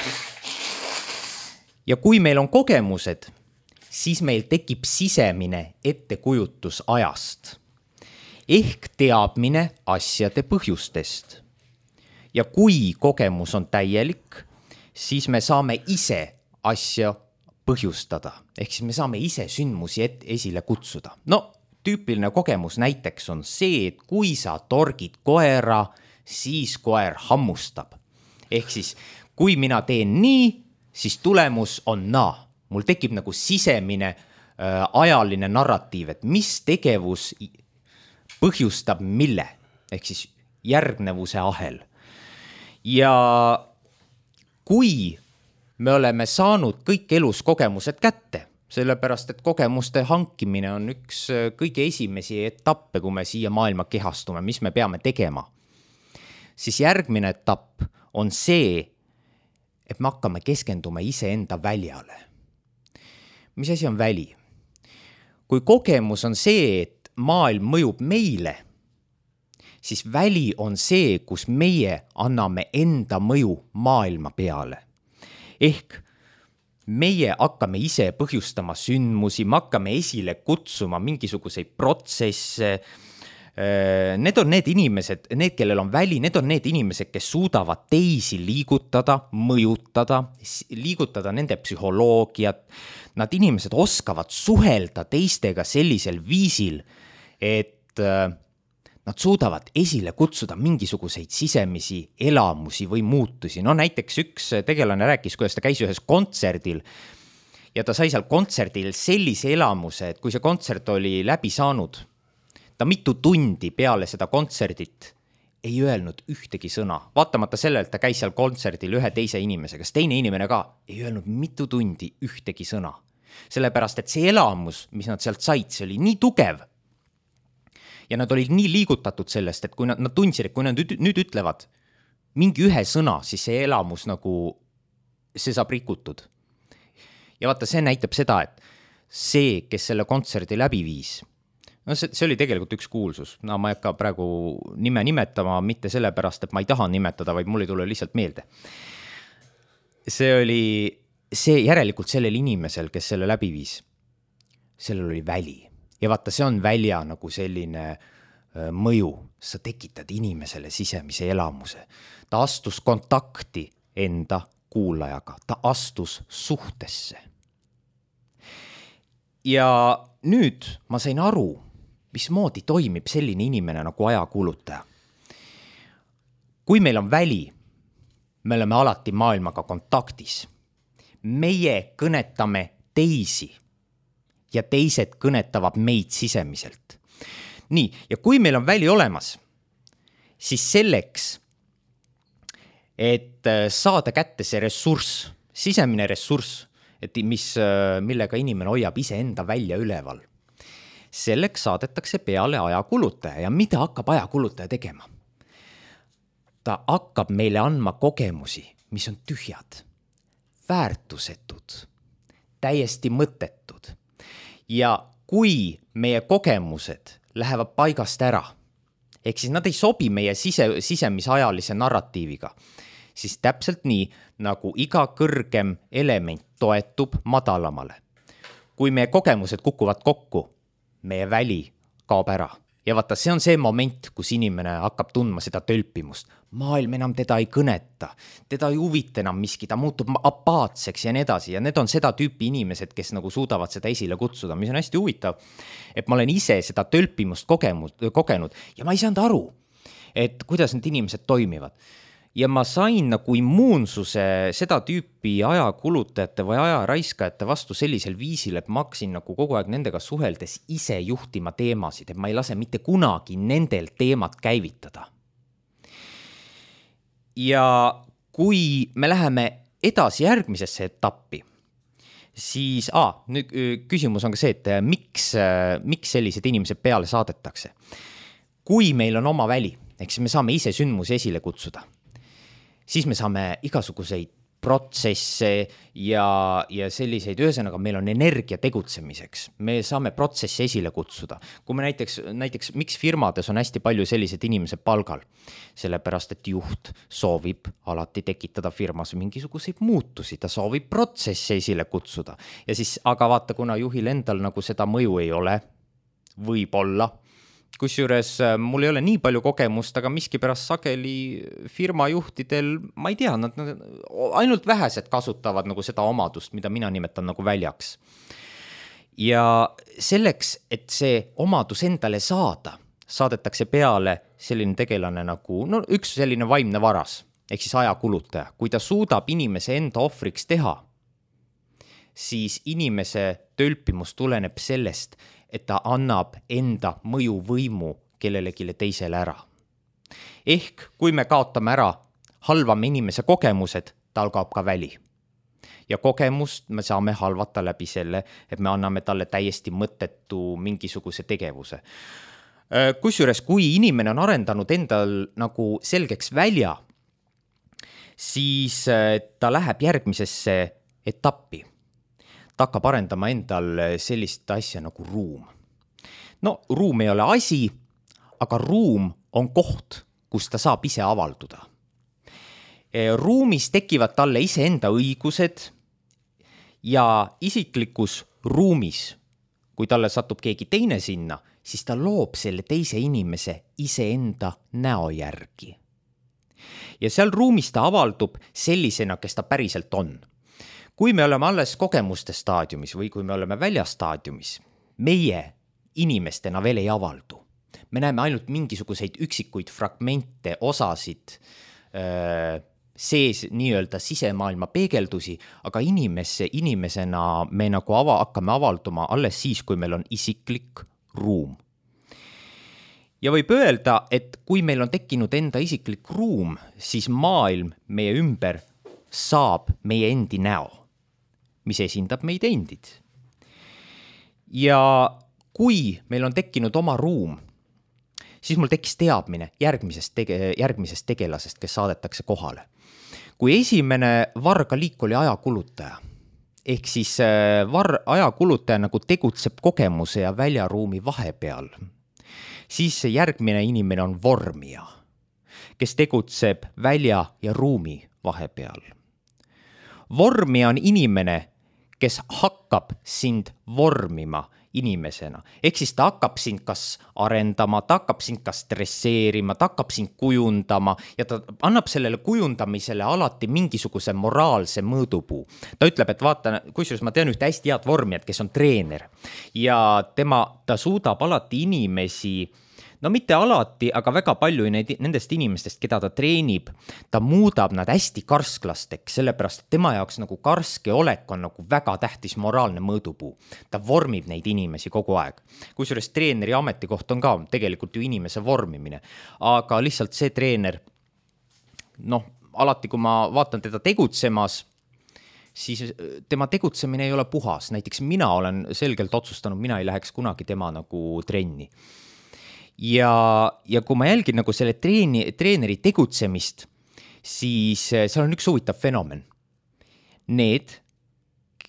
Ja kui meil on kogemused, siis meil tekib sisemine ettekujutus ajast. Ehk teadmine asjade põhjustest. Ja kui kogemus on täielik, siis me saame ise asja põhjustada. Ehk siis me saame ise sündmusi et esile kutsuda. No, tüüpiline kogemus näiteks on see, et kui sa torgid koera, siis koer hammustab. Ehk siis, kui mina teen nii, siis tulemus on naa. Mul tekib nagu sisemine äh, ajaline narratiiv, et mis tegevus põhjustab mille. Ehk siis järgnevuse ahel. Ja kui me oleme saanud kõik elus kogemused kätte, sellepärast, et kogemuste hankimine on üks kõige esimesi etappe, kui me siia maailma kehastume, mis me peame tegema, siis järgmine etapp on see, et me hakkame keskenduma iseenda väljale. Mis asi on väli? Kui kogemus on see, et maailm mõjub meile, siis väli on see, kus meie anname enda mõju maailma peale. Ehk meie hakkame ise põhjustama sündmusi, me hakkame esile kutsuma mingisuguseid protsesse. Need on need inimesed, need, kellel on väli, need on need inimesed, kes suudavad teisi liigutada, mõjutada, liigutada nende psühholoogiat. Nad inimesed oskavad suhelda teistega sellisel viisil, et nad suudavad esile kutsuda mingisuguseid sisemisi elamusi või muutusi. No näiteks üks tegelane rääkis, kuidas ta käis ühes kontserdil ja ta sai seal kontserdil sellise elamuse, et kui see kontsert oli läbi saanud, ta mitu tundi peale seda kontserdit ei öelnud ühtegi sõna. Vaatamata sellelt, ta käis seal kontserdil ühe teise inimesega, kas teine inimene ka ei öelnud mitu tundi ühtegi sõna. Sellepärast, et see elamus, mis nad sealt said, see oli nii tugev. Ja nad olid nii liigutatud sellest, et kui nad, nad tundsid, et kui nad nüüd ütlevad mingi ühe sõna, siis see elamus nagu, see saab rikutud. Ja vaata, see näitab seda, et see, kes selle kontserdi läbi viis, no see, see oli tegelikult üks kuulsus. No ma ei hakka praegu nime nimetama, mitte sellepärast, et ma ei taha nimetada, vaid mul ei tule lihtsalt meelde. See oli see järelikult sellel inimesel, kes selle läbi viis, sellel oli väli. Ja vaata, see on välja nagu selline mõju. Sa tekitad inimesele sisemise elamuse. Ta astus kontakti enda kuulajaga. Ta astus suhtesse. Ja nüüd ma sain aru, mismoodi toimib selline inimene nagu ajakuulutaja. Kui meil on väli, me oleme alati maailmaga kontaktis. Meie kõnetame teisi. Ja teised kõnetavad meid sisemiselt. Nii, ja kui meil on väli olemas, siis selleks, et saada kätte see ressurss, sisemine ressurss, et mis, millega inimene hoiab ise enda välja üleval, selleks saadetakse peale ajakulutaja. Ja mida hakkab ajakulutaja tegema? Ta hakkab meile andma kogemusi, mis on tühjad, väärtusetud, täiesti mõttetud. Ja kui meie kogemused lähevad paigast ära, ehk siis nad ei sobi meie sise, sisemise ajalise narratiiviga, siis täpselt nii, nagu iga kõrgem element toetub madalamale. Kui meie kogemused kukuvad kokku, meie väli kaob ära. Ja vaata, see on see moment, kus inimene hakkab tundma seda tölpimust. Maailm enam teda ei kõneta, teda ei huvita enam miski, ta muutub apaatseks ja nii edasi. Ja need on seda tüüpi inimesed, kes nagu suudavad seda esile kutsuda, mis on hästi huvitav. Et ma olen ise seda tölpimust kogenud, kogenud ja ma ei saanud aru, et kuidas need inimesed toimivad. Ja ma sain nagu immuunsuse seda tüüpi ajakulutajate või ajaraiskajate vastu sellisel viisil, et ma hakkasin nagu kogu aeg nendega suheldes ise juhtima teemasid, et ma ei lase mitte kunagi nendel teemat käivitada. ja kui me läheme edasi järgmisesse etappi, siis ah, nüüd küsimus on ka see, et miks, miks sellised inimesed peale saadetakse. Kui meil on oma väli, ehk siis me saame ise sündmusi esile kutsuda, siis me saame igasuguseid protsesse ja, ja selliseid, ühesõnaga meil on energia tegutsemiseks. Me saame protsessi esile kutsuda. Kui me näiteks, näiteks miks firmades on hästi palju sellised inimesed palgal? Sellepärast, et juht soovib alati tekitada firmas mingisuguseid muutusi, ta soovib protsessi esile kutsuda. Ja siis, aga vaata, kuna juhil endal nagu seda mõju ei ole, võib olla, kusjuures mul ei ole nii palju kogemust, aga miskipärast sageli firmajuhtidel, ma ei tea, nad ainult vähesed kasutavad nagu seda omadust, mida mina nimetan nagu väljaks. Ja selleks, et see omadus endale saada, saadetakse peale selline tegelane nagu, no üks selline vaimne varas, ehk siis ajakulutaja. Kui ta suudab inimese enda ohvriks teha, siis inimese tölpimus tuleneb sellest, et ta annab enda mõjuvõimu kellelegi teisele ära. Ehk kui me kaotame ära, halvame inimese kogemused, tal kaob ka väli. Ja kogemust me saame halvata läbi selle, et me anname talle täiesti mõttetu mingisuguse tegevuse. Kusjuures, kui inimene on arendanud endal nagu selgeks välja, siis ta läheb järgmisesse etappi. Ta hakkab arendama endal sellist asja nagu ruum. No, ruum ei ole asi, aga ruum on koht, kus ta saab ise avalduda. Ruumis tekivad talle ise enda õigused ja isiklikus ruumis, kui talle satub keegi teine sinna, siis ta loob selle teise inimese ise enda näo järgi. Ja seal ruumis ta avaldub sellisena, kes ta päriselt on. Kui me oleme alles kogemuste staadiumis või kui me oleme väljastaadiumis, meie inimestena veel ei avaldu. Me näeme ainult mingisuguseid üksikuid fragmente, osasid, sees nii-öelda sisemaailma peegeldusi, aga inimesse, inimesena me nagu ava, hakkame avalduma alles siis, kui meil on isiklik ruum. Ja võib öelda, et kui meil on tekkinud enda isiklik ruum, siis maailm meie ümber saab meie endi näo, mis esindab meid endid. Ja kui meil on tekkinud oma ruum, siis mul tekkis teadmine järgmisest, tege, järgmisest tegelasest, kes saadetakse kohale. Kui esimene vargaliik oli ajakulutaja, ehk siis var, ajakulutaja nagu tegutseb kogemuse ja väljaruumi vahepeal, siis see järgmine inimene on vormija, kes tegutseb välja ja ruumi vahepeal. Vormija on inimene, kes hakkab sind vormima inimesena. Ehk siis ta hakkab sind kas arendama, ta hakkab sind kas stresseerima, ta hakkab sind kujundama ja ta annab sellele kujundamisele alati mingisuguse moraalse mõõdupuu. Ta ütleb, et vaata, kusjuures ma tean ühte hästi head vormijat, kes on treener ja tema, ta suudab alati inimesi, no mitte alati, aga väga palju nendest inimestest, keda ta treenib, ta muudab nad hästi karsklasteks, sellepärast, et tema jaoks nagu karske olek on nagu väga tähtis moraalne mõõdupuu. Ta vormib neid inimesi kogu aeg. Kusjuures treeneri ametikoht on ka tegelikult ju inimese vormimine, aga lihtsalt see treener, noh, alati kui ma vaatan teda tegutsemas, siis tema tegutsemine ei ole puhas. Näiteks mina olen selgelt otsustanud, mina ei läheks kunagi tema nagu trenni. Ja, ja kui ma jälgin nagu selle treeni, treeneri tegutsemist, siis seal on üks huvitav fenomen. Need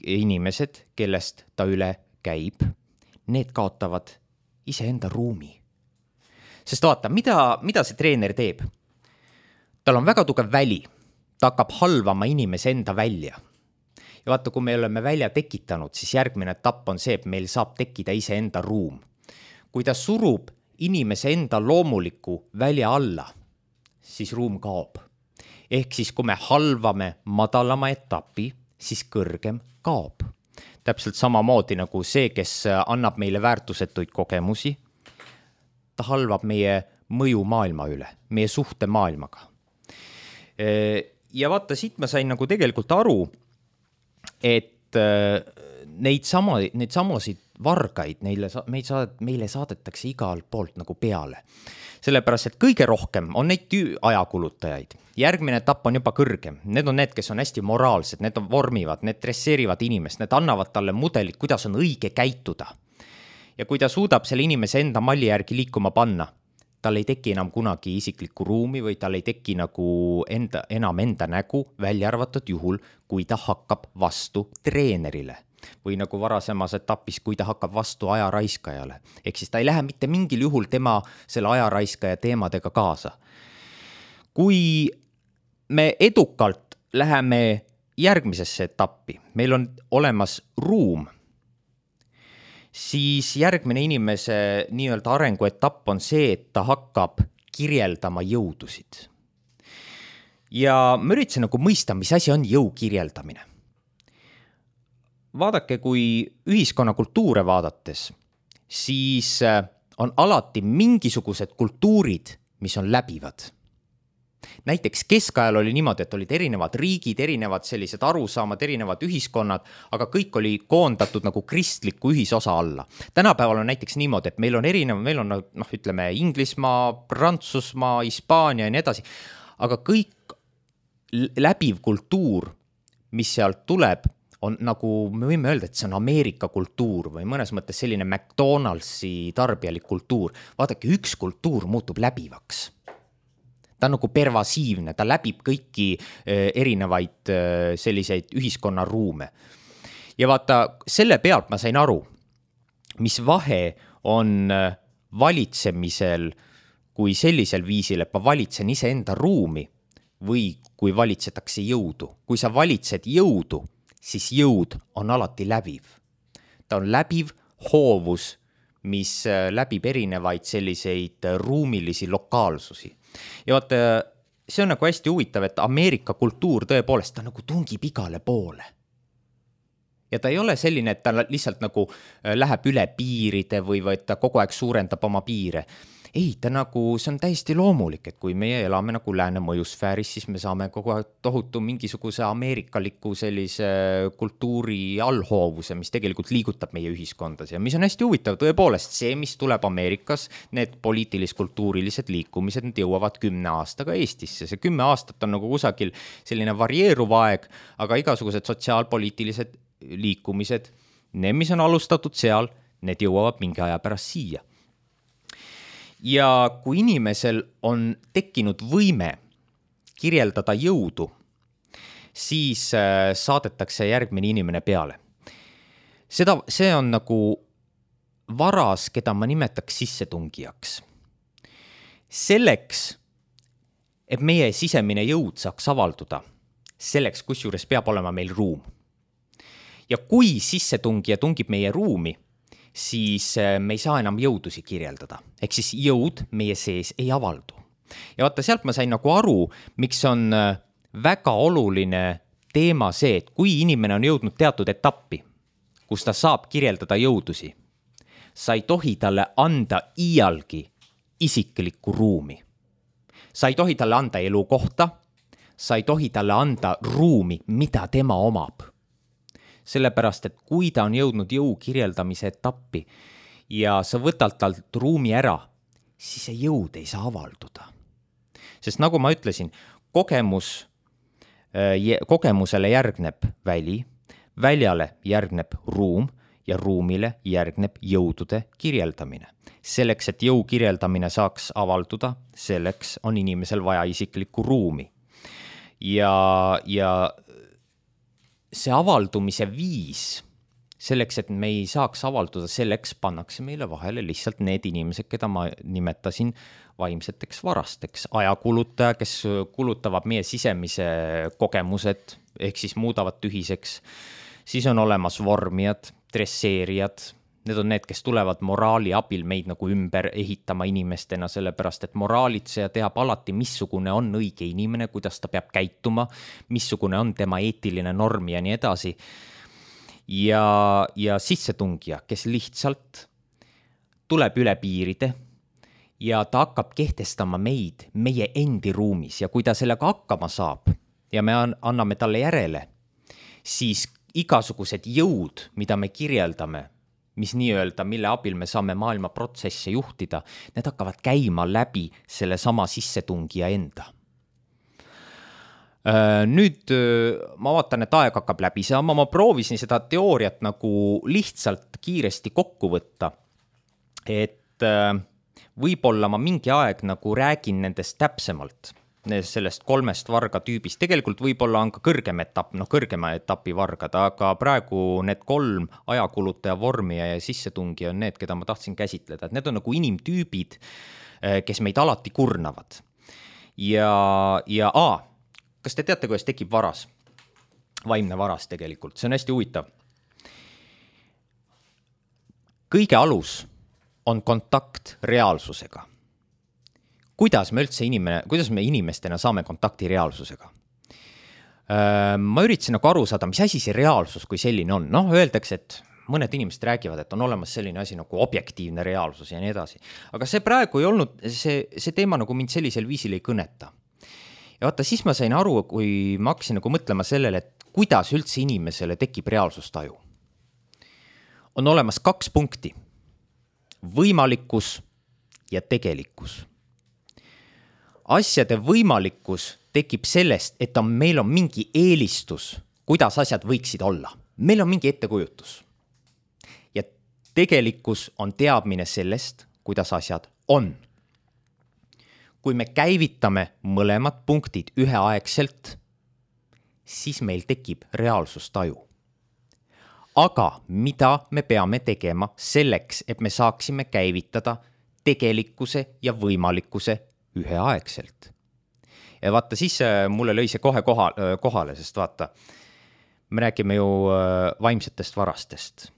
inimesed, kellest ta üle käib, need kaotavad iseenda ruumi. Sest vaata, mida, mida see treener teeb? Tal on väga tugev väli. Ta hakkab halvama inimese enda välja. Ja vaata, kui me oleme välja tekitanud, siis järgmine etapp on see, et meil saab tekkida iseenda ruum. Kui ta surub inimese enda loomuliku välja alla, siis ruum kaob. Ehk siis, kui me halvame madalama etapi, siis kõrgem kaob. Täpselt samamoodi nagu see, kes annab meile väärtusetuid kogemusi, ta halvab meie mõju maailma üle, meie suhte maailmaga. Ja vaata, siit ma sain nagu tegelikult aru, et neid, sama, neid samasid vargaid, neile, meid saad, meile saadetakse igalt poolt nagu peale. Sellepärast, et kõige rohkem on neid ajakulutajaid. Järgmine etapp on juba kõrgem. Need on need, kes on hästi moraalsed, need on vormivad, need dresseerivad inimest, need annavad talle mudelit, kuidas on õige käituda. Ja kui ta suudab selle inimese enda malli järgi liikuma panna, tal ei teki enam kunagi isiklikku ruumi või tal ei teki nagu enda, enam enda nägu, välja arvatud juhul, kui ta hakkab vastu treenerile. Või nagu varasemas etapis, kui ta hakkab vastu ajaraiskajale. Ehk siis ta ei lähe mitte mingil juhul tema selle ajaraiskaja teemadega kaasa. Kui me edukalt läheme järgmisesse etappi, meil on olemas ruum, siis järgmine inimese nii-öelda arenguetapp on see, et ta hakkab kirjeldama jõudusid. Ja ma üritasin nagu mõista, mis asi on jõu kirjeldamine. Vaadake, kui ühiskonna kultuure vaadates, siis on alati mingisugused kultuurid, mis on läbivad. Näiteks keskajal oli niimoodi, et olid erinevad riigid, erinevad sellised arusaamad, erinevad ühiskonnad, aga kõik oli koondatud nagu kristliku ühisosa alla. Tänapäeval on näiteks niimoodi, et meil on erinev, meil on noh, ütleme Inglismaa, Prantsusmaa, Hispaania ja nii edasi, aga kõik läbiv kultuur, mis sealt tuleb, on nagu, me võime öelda, et see on Ameerika kultuur või mõnes mõttes selline McDonaldsi tarbijalik kultuur. Vaadake, üks kultuur muutub läbivaks. Ta on nagu pervasiivne, ta läbib kõiki erinevaid selliseid ühiskonnaruume. Ja vaata, selle pealt ma sain aru, mis vahe on valitsemisel kui sellisel viisil, et ma valitsen ise enda ruumi või kui valitsetakse jõudu. Kui sa valitsed jõudu, siis jõud on alati läbiv. Ta on läbiv hoovus, mis läbib erinevaid selliseid ruumilisi lokaalsusi. Ja vaata, see on nagu hästi huvitav, et Ameerika kultuur tõepoolest ta nagu tungib igale poole. Ja ta ei ole selline, et ta lihtsalt nagu läheb üle piiride või, või ta kogu aeg suurendab oma piire. Ei, ta nagu, see on täiesti loomulik, et kui meie elame nagu lääne mõjusfääris, siis me saame kogu aeg tohutu mingisuguse ameerikaliku sellise kultuuri allhoovuse, mis tegelikult liigutab meie ühiskondas. Ja mis on hästi huvitav, tõepoolest see, mis tuleb Ameerikas, need poliitilis-kultuurilised liikumised, need jõuavad kümne aastaga Eestisse. See kümme aastat on nagu kusagil selline varieeruv aeg, aga igasugused sotsiaalpoliitilised liikumised, need, mis on alustatud seal, need jõuavad mingi aja pärast siia. Ja kui inimesel on tekkinud võime kirjeldada jõudu, siis saadetakse järgmine inimene peale. Seda, see on nagu varas, keda ma nimetaks sissetungijaks. Selleks, et meie sisemine jõud saaks avalduda, selleks kusjuures peab olema meil ruum. Ja kui sissetungija tungib meie ruumi, siis me ei saa enam jõudusi kirjeldada. Ehk siis jõud meie sees ei avaldu. Ja vaata, sealt ma sain nagu aru, miks on väga oluline teema see, et kui inimene on jõudnud teatud etappi, kus ta saab kirjeldada jõudusi, sa ei tohi talle anda iialgi isiklikku ruumi. Sa ei tohi talle anda elukohta, sa ei tohi talle anda ruumi, mida tema omab. Sellepärast, et kui ta on jõudnud jõu kirjeldamise etappi ja sa võtad talt ruumi ära, siis see jõud ei saa avalduda. Sest nagu ma ütlesin, kogemus, kogemusele järgneb väli, väljale järgneb ruum ja ruumile järgneb jõudude kirjeldamine. Selleks, et jõu kirjeldamine saaks avalduda, selleks on inimesel vaja isiklikku ruumi. Ja, ja see avaldumise viis, selleks, et me ei saaks avalduda, selleks pannakse meile vahele lihtsalt need inimesed, keda ma nimetasin vaimseteks varasteks. Ajakuluttaja, kes kulutavad meie sisemise kogemused, ehk siis muudavad tühiseks. Siis on olemas vormijad, dresseerijad. Need on need, kes tulevad moraali abil meid nagu ümber ehitama inimestena, sellepärast, et moraalitseja teab alati, missugune on õige inimene, kuidas ta peab käituma, missugune on tema eetiline norm ja nii edasi. Ja, ja sissetungija, kes lihtsalt tuleb üle piiride ja ta hakkab kehtestama meid meie endi ruumis ja kui ta sellega hakkama saab ja me anname talle järele, siis igasugused jõud, mida me kirjeldame, mis nii-öelda, mille abil me saame maailma protsesse juhtida, need hakkavad käima läbi selle sama sissetungija enda. Nüüd ma vaatan, et aeg hakkab läbi saama, ma proovisin seda teooriat nagu lihtsalt kiiresti kokku võtta, et võib-olla ma mingi aeg nagu räägin nendest täpsemalt, sellest kolmest varga tüübist, tegelikult võib-olla on ka kõrgem etapp, noh kõrgema etapi vargad, aga praegu need kolm ajakulutaja vormi ja sissetungi on need, keda ma tahtsin käsitleda, et need on nagu inimtüübid, kes meid alati kurnavad. Ja, ja a, kas te teate, kuidas tekib varas? Vaimne varas tegelikult, see on hästi huvitav. Kõige alus on kontakt reaalsusega. Kuidas me üldse inimene, kuidas me inimestena saame kontakti reaalsusega? Ma üritasin nagu aru saada, mis asi see reaalsus kui selline on. Noh, öeldakse, et mõned inimesed räägivad, et on olemas selline asi nagu objektiivne reaalsus ja nii edasi. Aga see praegu ei olnud, see, see teema nagu mind sellisel viisil ei kõneta. Ja vaata, siis ma sain aru, kui ma hakkasin nagu mõtlema sellele, et kuidas üldse inimesele tekib reaalsustaju. On olemas kaks punkti. Võimalikkus ja tegelikkus. Asjade võimalikkus tekib sellest, et on, meil on mingi eelistus, kuidas asjad võiksid olla. Meil on mingi ettekujutus. Ja tegelikkus on teadmine sellest, kuidas asjad on. Kui me käivitame mõlemad punktid üheaegselt, siis meil tekib reaalsustaju. Aga mida me peame tegema selleks, et me saaksime käivitada tegelikkuse ja võimalikkuse üheaegselt. Ja vaata, siis mulle lõi see kohe koha, kohale, sest vaata, me räägime ju vaimsetest varastest.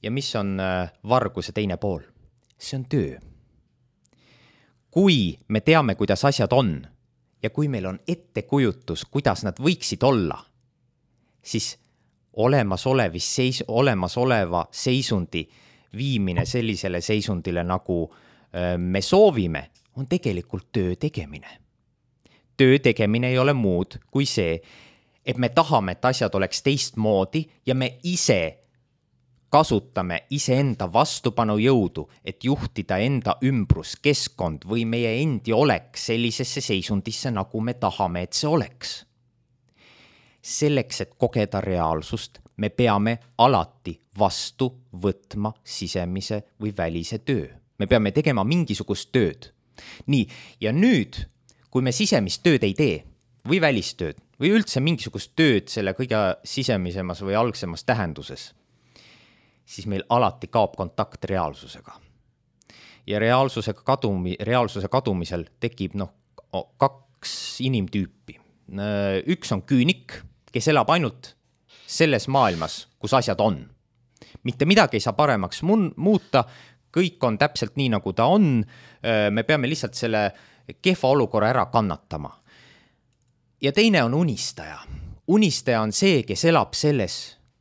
Ja mis on varguse teine pool? See on töö. Kui me teame, kuidas asjad on ja kui meil on ettekujutus, kuidas nad võiksid olla, siis olemasolevis seis, olemasoleva seisundi viimine sellisele seisundile, nagu me soovime, on tegelikult töö tegemine. Töö tegemine ei ole muud kui see, et me tahame, et asjad oleks teistmoodi ja me ise kasutame iseenda vastupanu jõudu, et juhtida enda ümbruskeskkond või meie endi oleks sellisesse seisundisse, nagu me tahame, et see oleks. Selleks, et kogeda reaalsust, me peame alati vastu võtma sisemise või välise töö. Me peame tegema mingisugust tööd. Nii, ja nüüd, kui me sisemist tööd ei tee või välistööd või üldse mingisugust tööd selle kõige sisemisemas või algsemas tähenduses, siis meil alati kaob kontakt reaalsusega. Ja reaalsusega kadumi, reaalsuse kadumisel tekib noh, kaks inimtüüpi. Üks on küünik, kes elab ainult selles maailmas, kus asjad on. Mitte midagi ei saa paremaks muuta, kõik on täpselt nii, nagu ta on, me peame lihtsalt selle kehva olukorra ära kannatama. Ja teine on unistaja. Unistaja on see, kes elab selles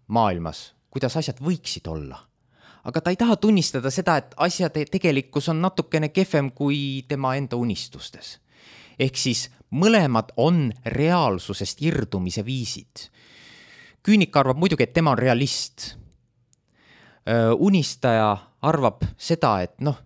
maailmas, kuidas asjad võiksid olla. Aga ta ei taha tunnistada seda, et asjade tegelikkus on natukene kehvem kui tema enda unistustes. Ehk siis mõlemad on reaalsusest irdumise viisid. Küünik arvab muidugi, et tema on realist. Unistaja arvab seda, et noh,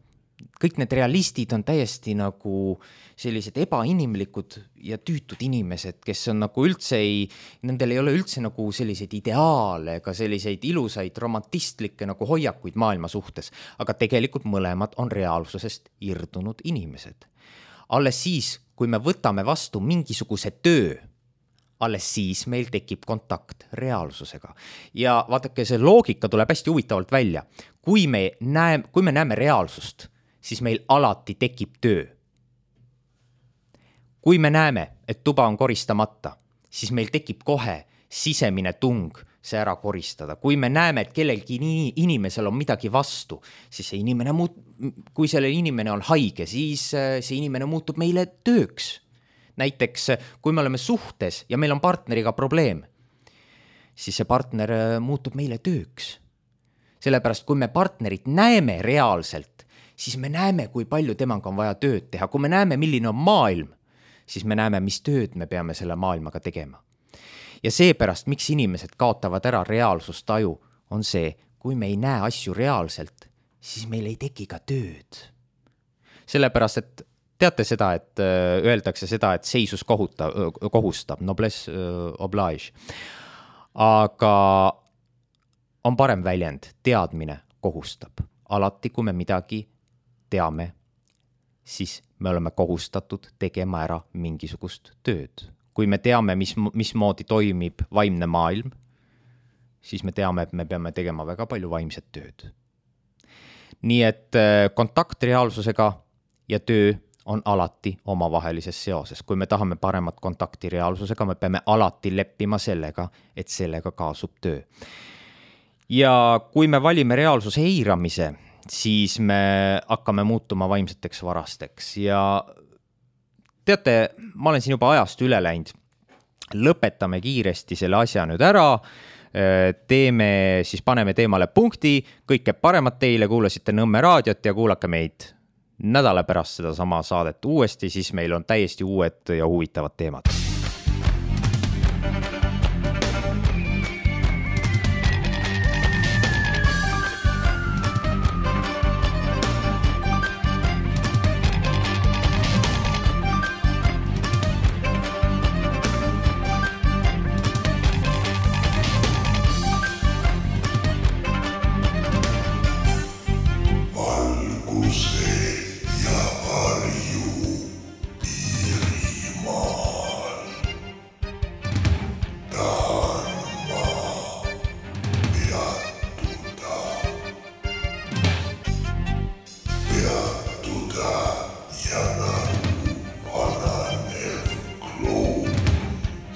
kõik need realistid on täiesti nagu sellised ebainimlikud ja tüütud inimesed, kes on nagu üldse ei, nendel ei ole üldse nagu selliseid ideaale ega selliseid ilusaid romantistlikke nagu hoiakuid maailma suhtes, aga tegelikult mõlemad on reaalsusest irdunud inimesed. Alles siis, kui me võtame vastu mingisuguse töö, alles siis meil tekib kontakt reaalsusega. Ja vaadake, see loogika tuleb hästi huvitavalt välja. Kui me näeme, kui me näeme reaalsust, siis meil alati tekib töö. Kui me näeme, et tuba on koristamata, siis meil tekib kohe sisemine tung see ära koristada. Kui me näeme, et kellelgi inimesel on midagi vastu, siis see inimene muut-, kui selle inimene on haige, siis see inimene muutub meile tööks. Näiteks, kui me oleme suhtes ja meil on partneriga probleem, siis see partner muutub meile tööks. Sellepärast, kui me partnerit näeme reaalselt, siis me näeme, kui palju temaga on vaja tööd teha. Kui me näeme, milline on maailm, siis me näeme, mis tööd me peame selle maailmaga tegema. Ja seepärast, miks inimesed kaotavad ära reaalsustaju, on see, kui me ei näe asju reaalselt, siis meil ei teki ka tööd. Sellepärast, et teate seda, et öeldakse seda, et seisus kohuta, kohustab, noblesse oblige. Aga on parem väljend, teadmine kohustab. Alati, kui me midagi teame, siis me oleme kohustatud tegema ära mingisugust tööd. Kui me teame, mis, mismoodi toimib vaimne maailm, siis me teame, et me peame tegema väga palju vaimset tööd. Nii et kontakt reaalsusega ja töö on alati omavahelises seoses. Kui me tahame paremat kontakti reaalsusega, me peame alati leppima sellega, et sellega kaasub töö. Ja kui me valime reaalsuse eiramise, siis me hakkame muutuma vaimseteks varasteks. Ja teate, ma olen siin juba ajast üle läinud. Lõpetame kiiresti selle asja nüüd ära. Teeme, siis paneme teemale punkti. Kõike paremat teile, kuulasite Nõmme raadiot ja kuulake meid nädala pärast seda sama saadet uuesti, siis meil on täiesti uued ja huvitavad teemad.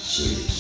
See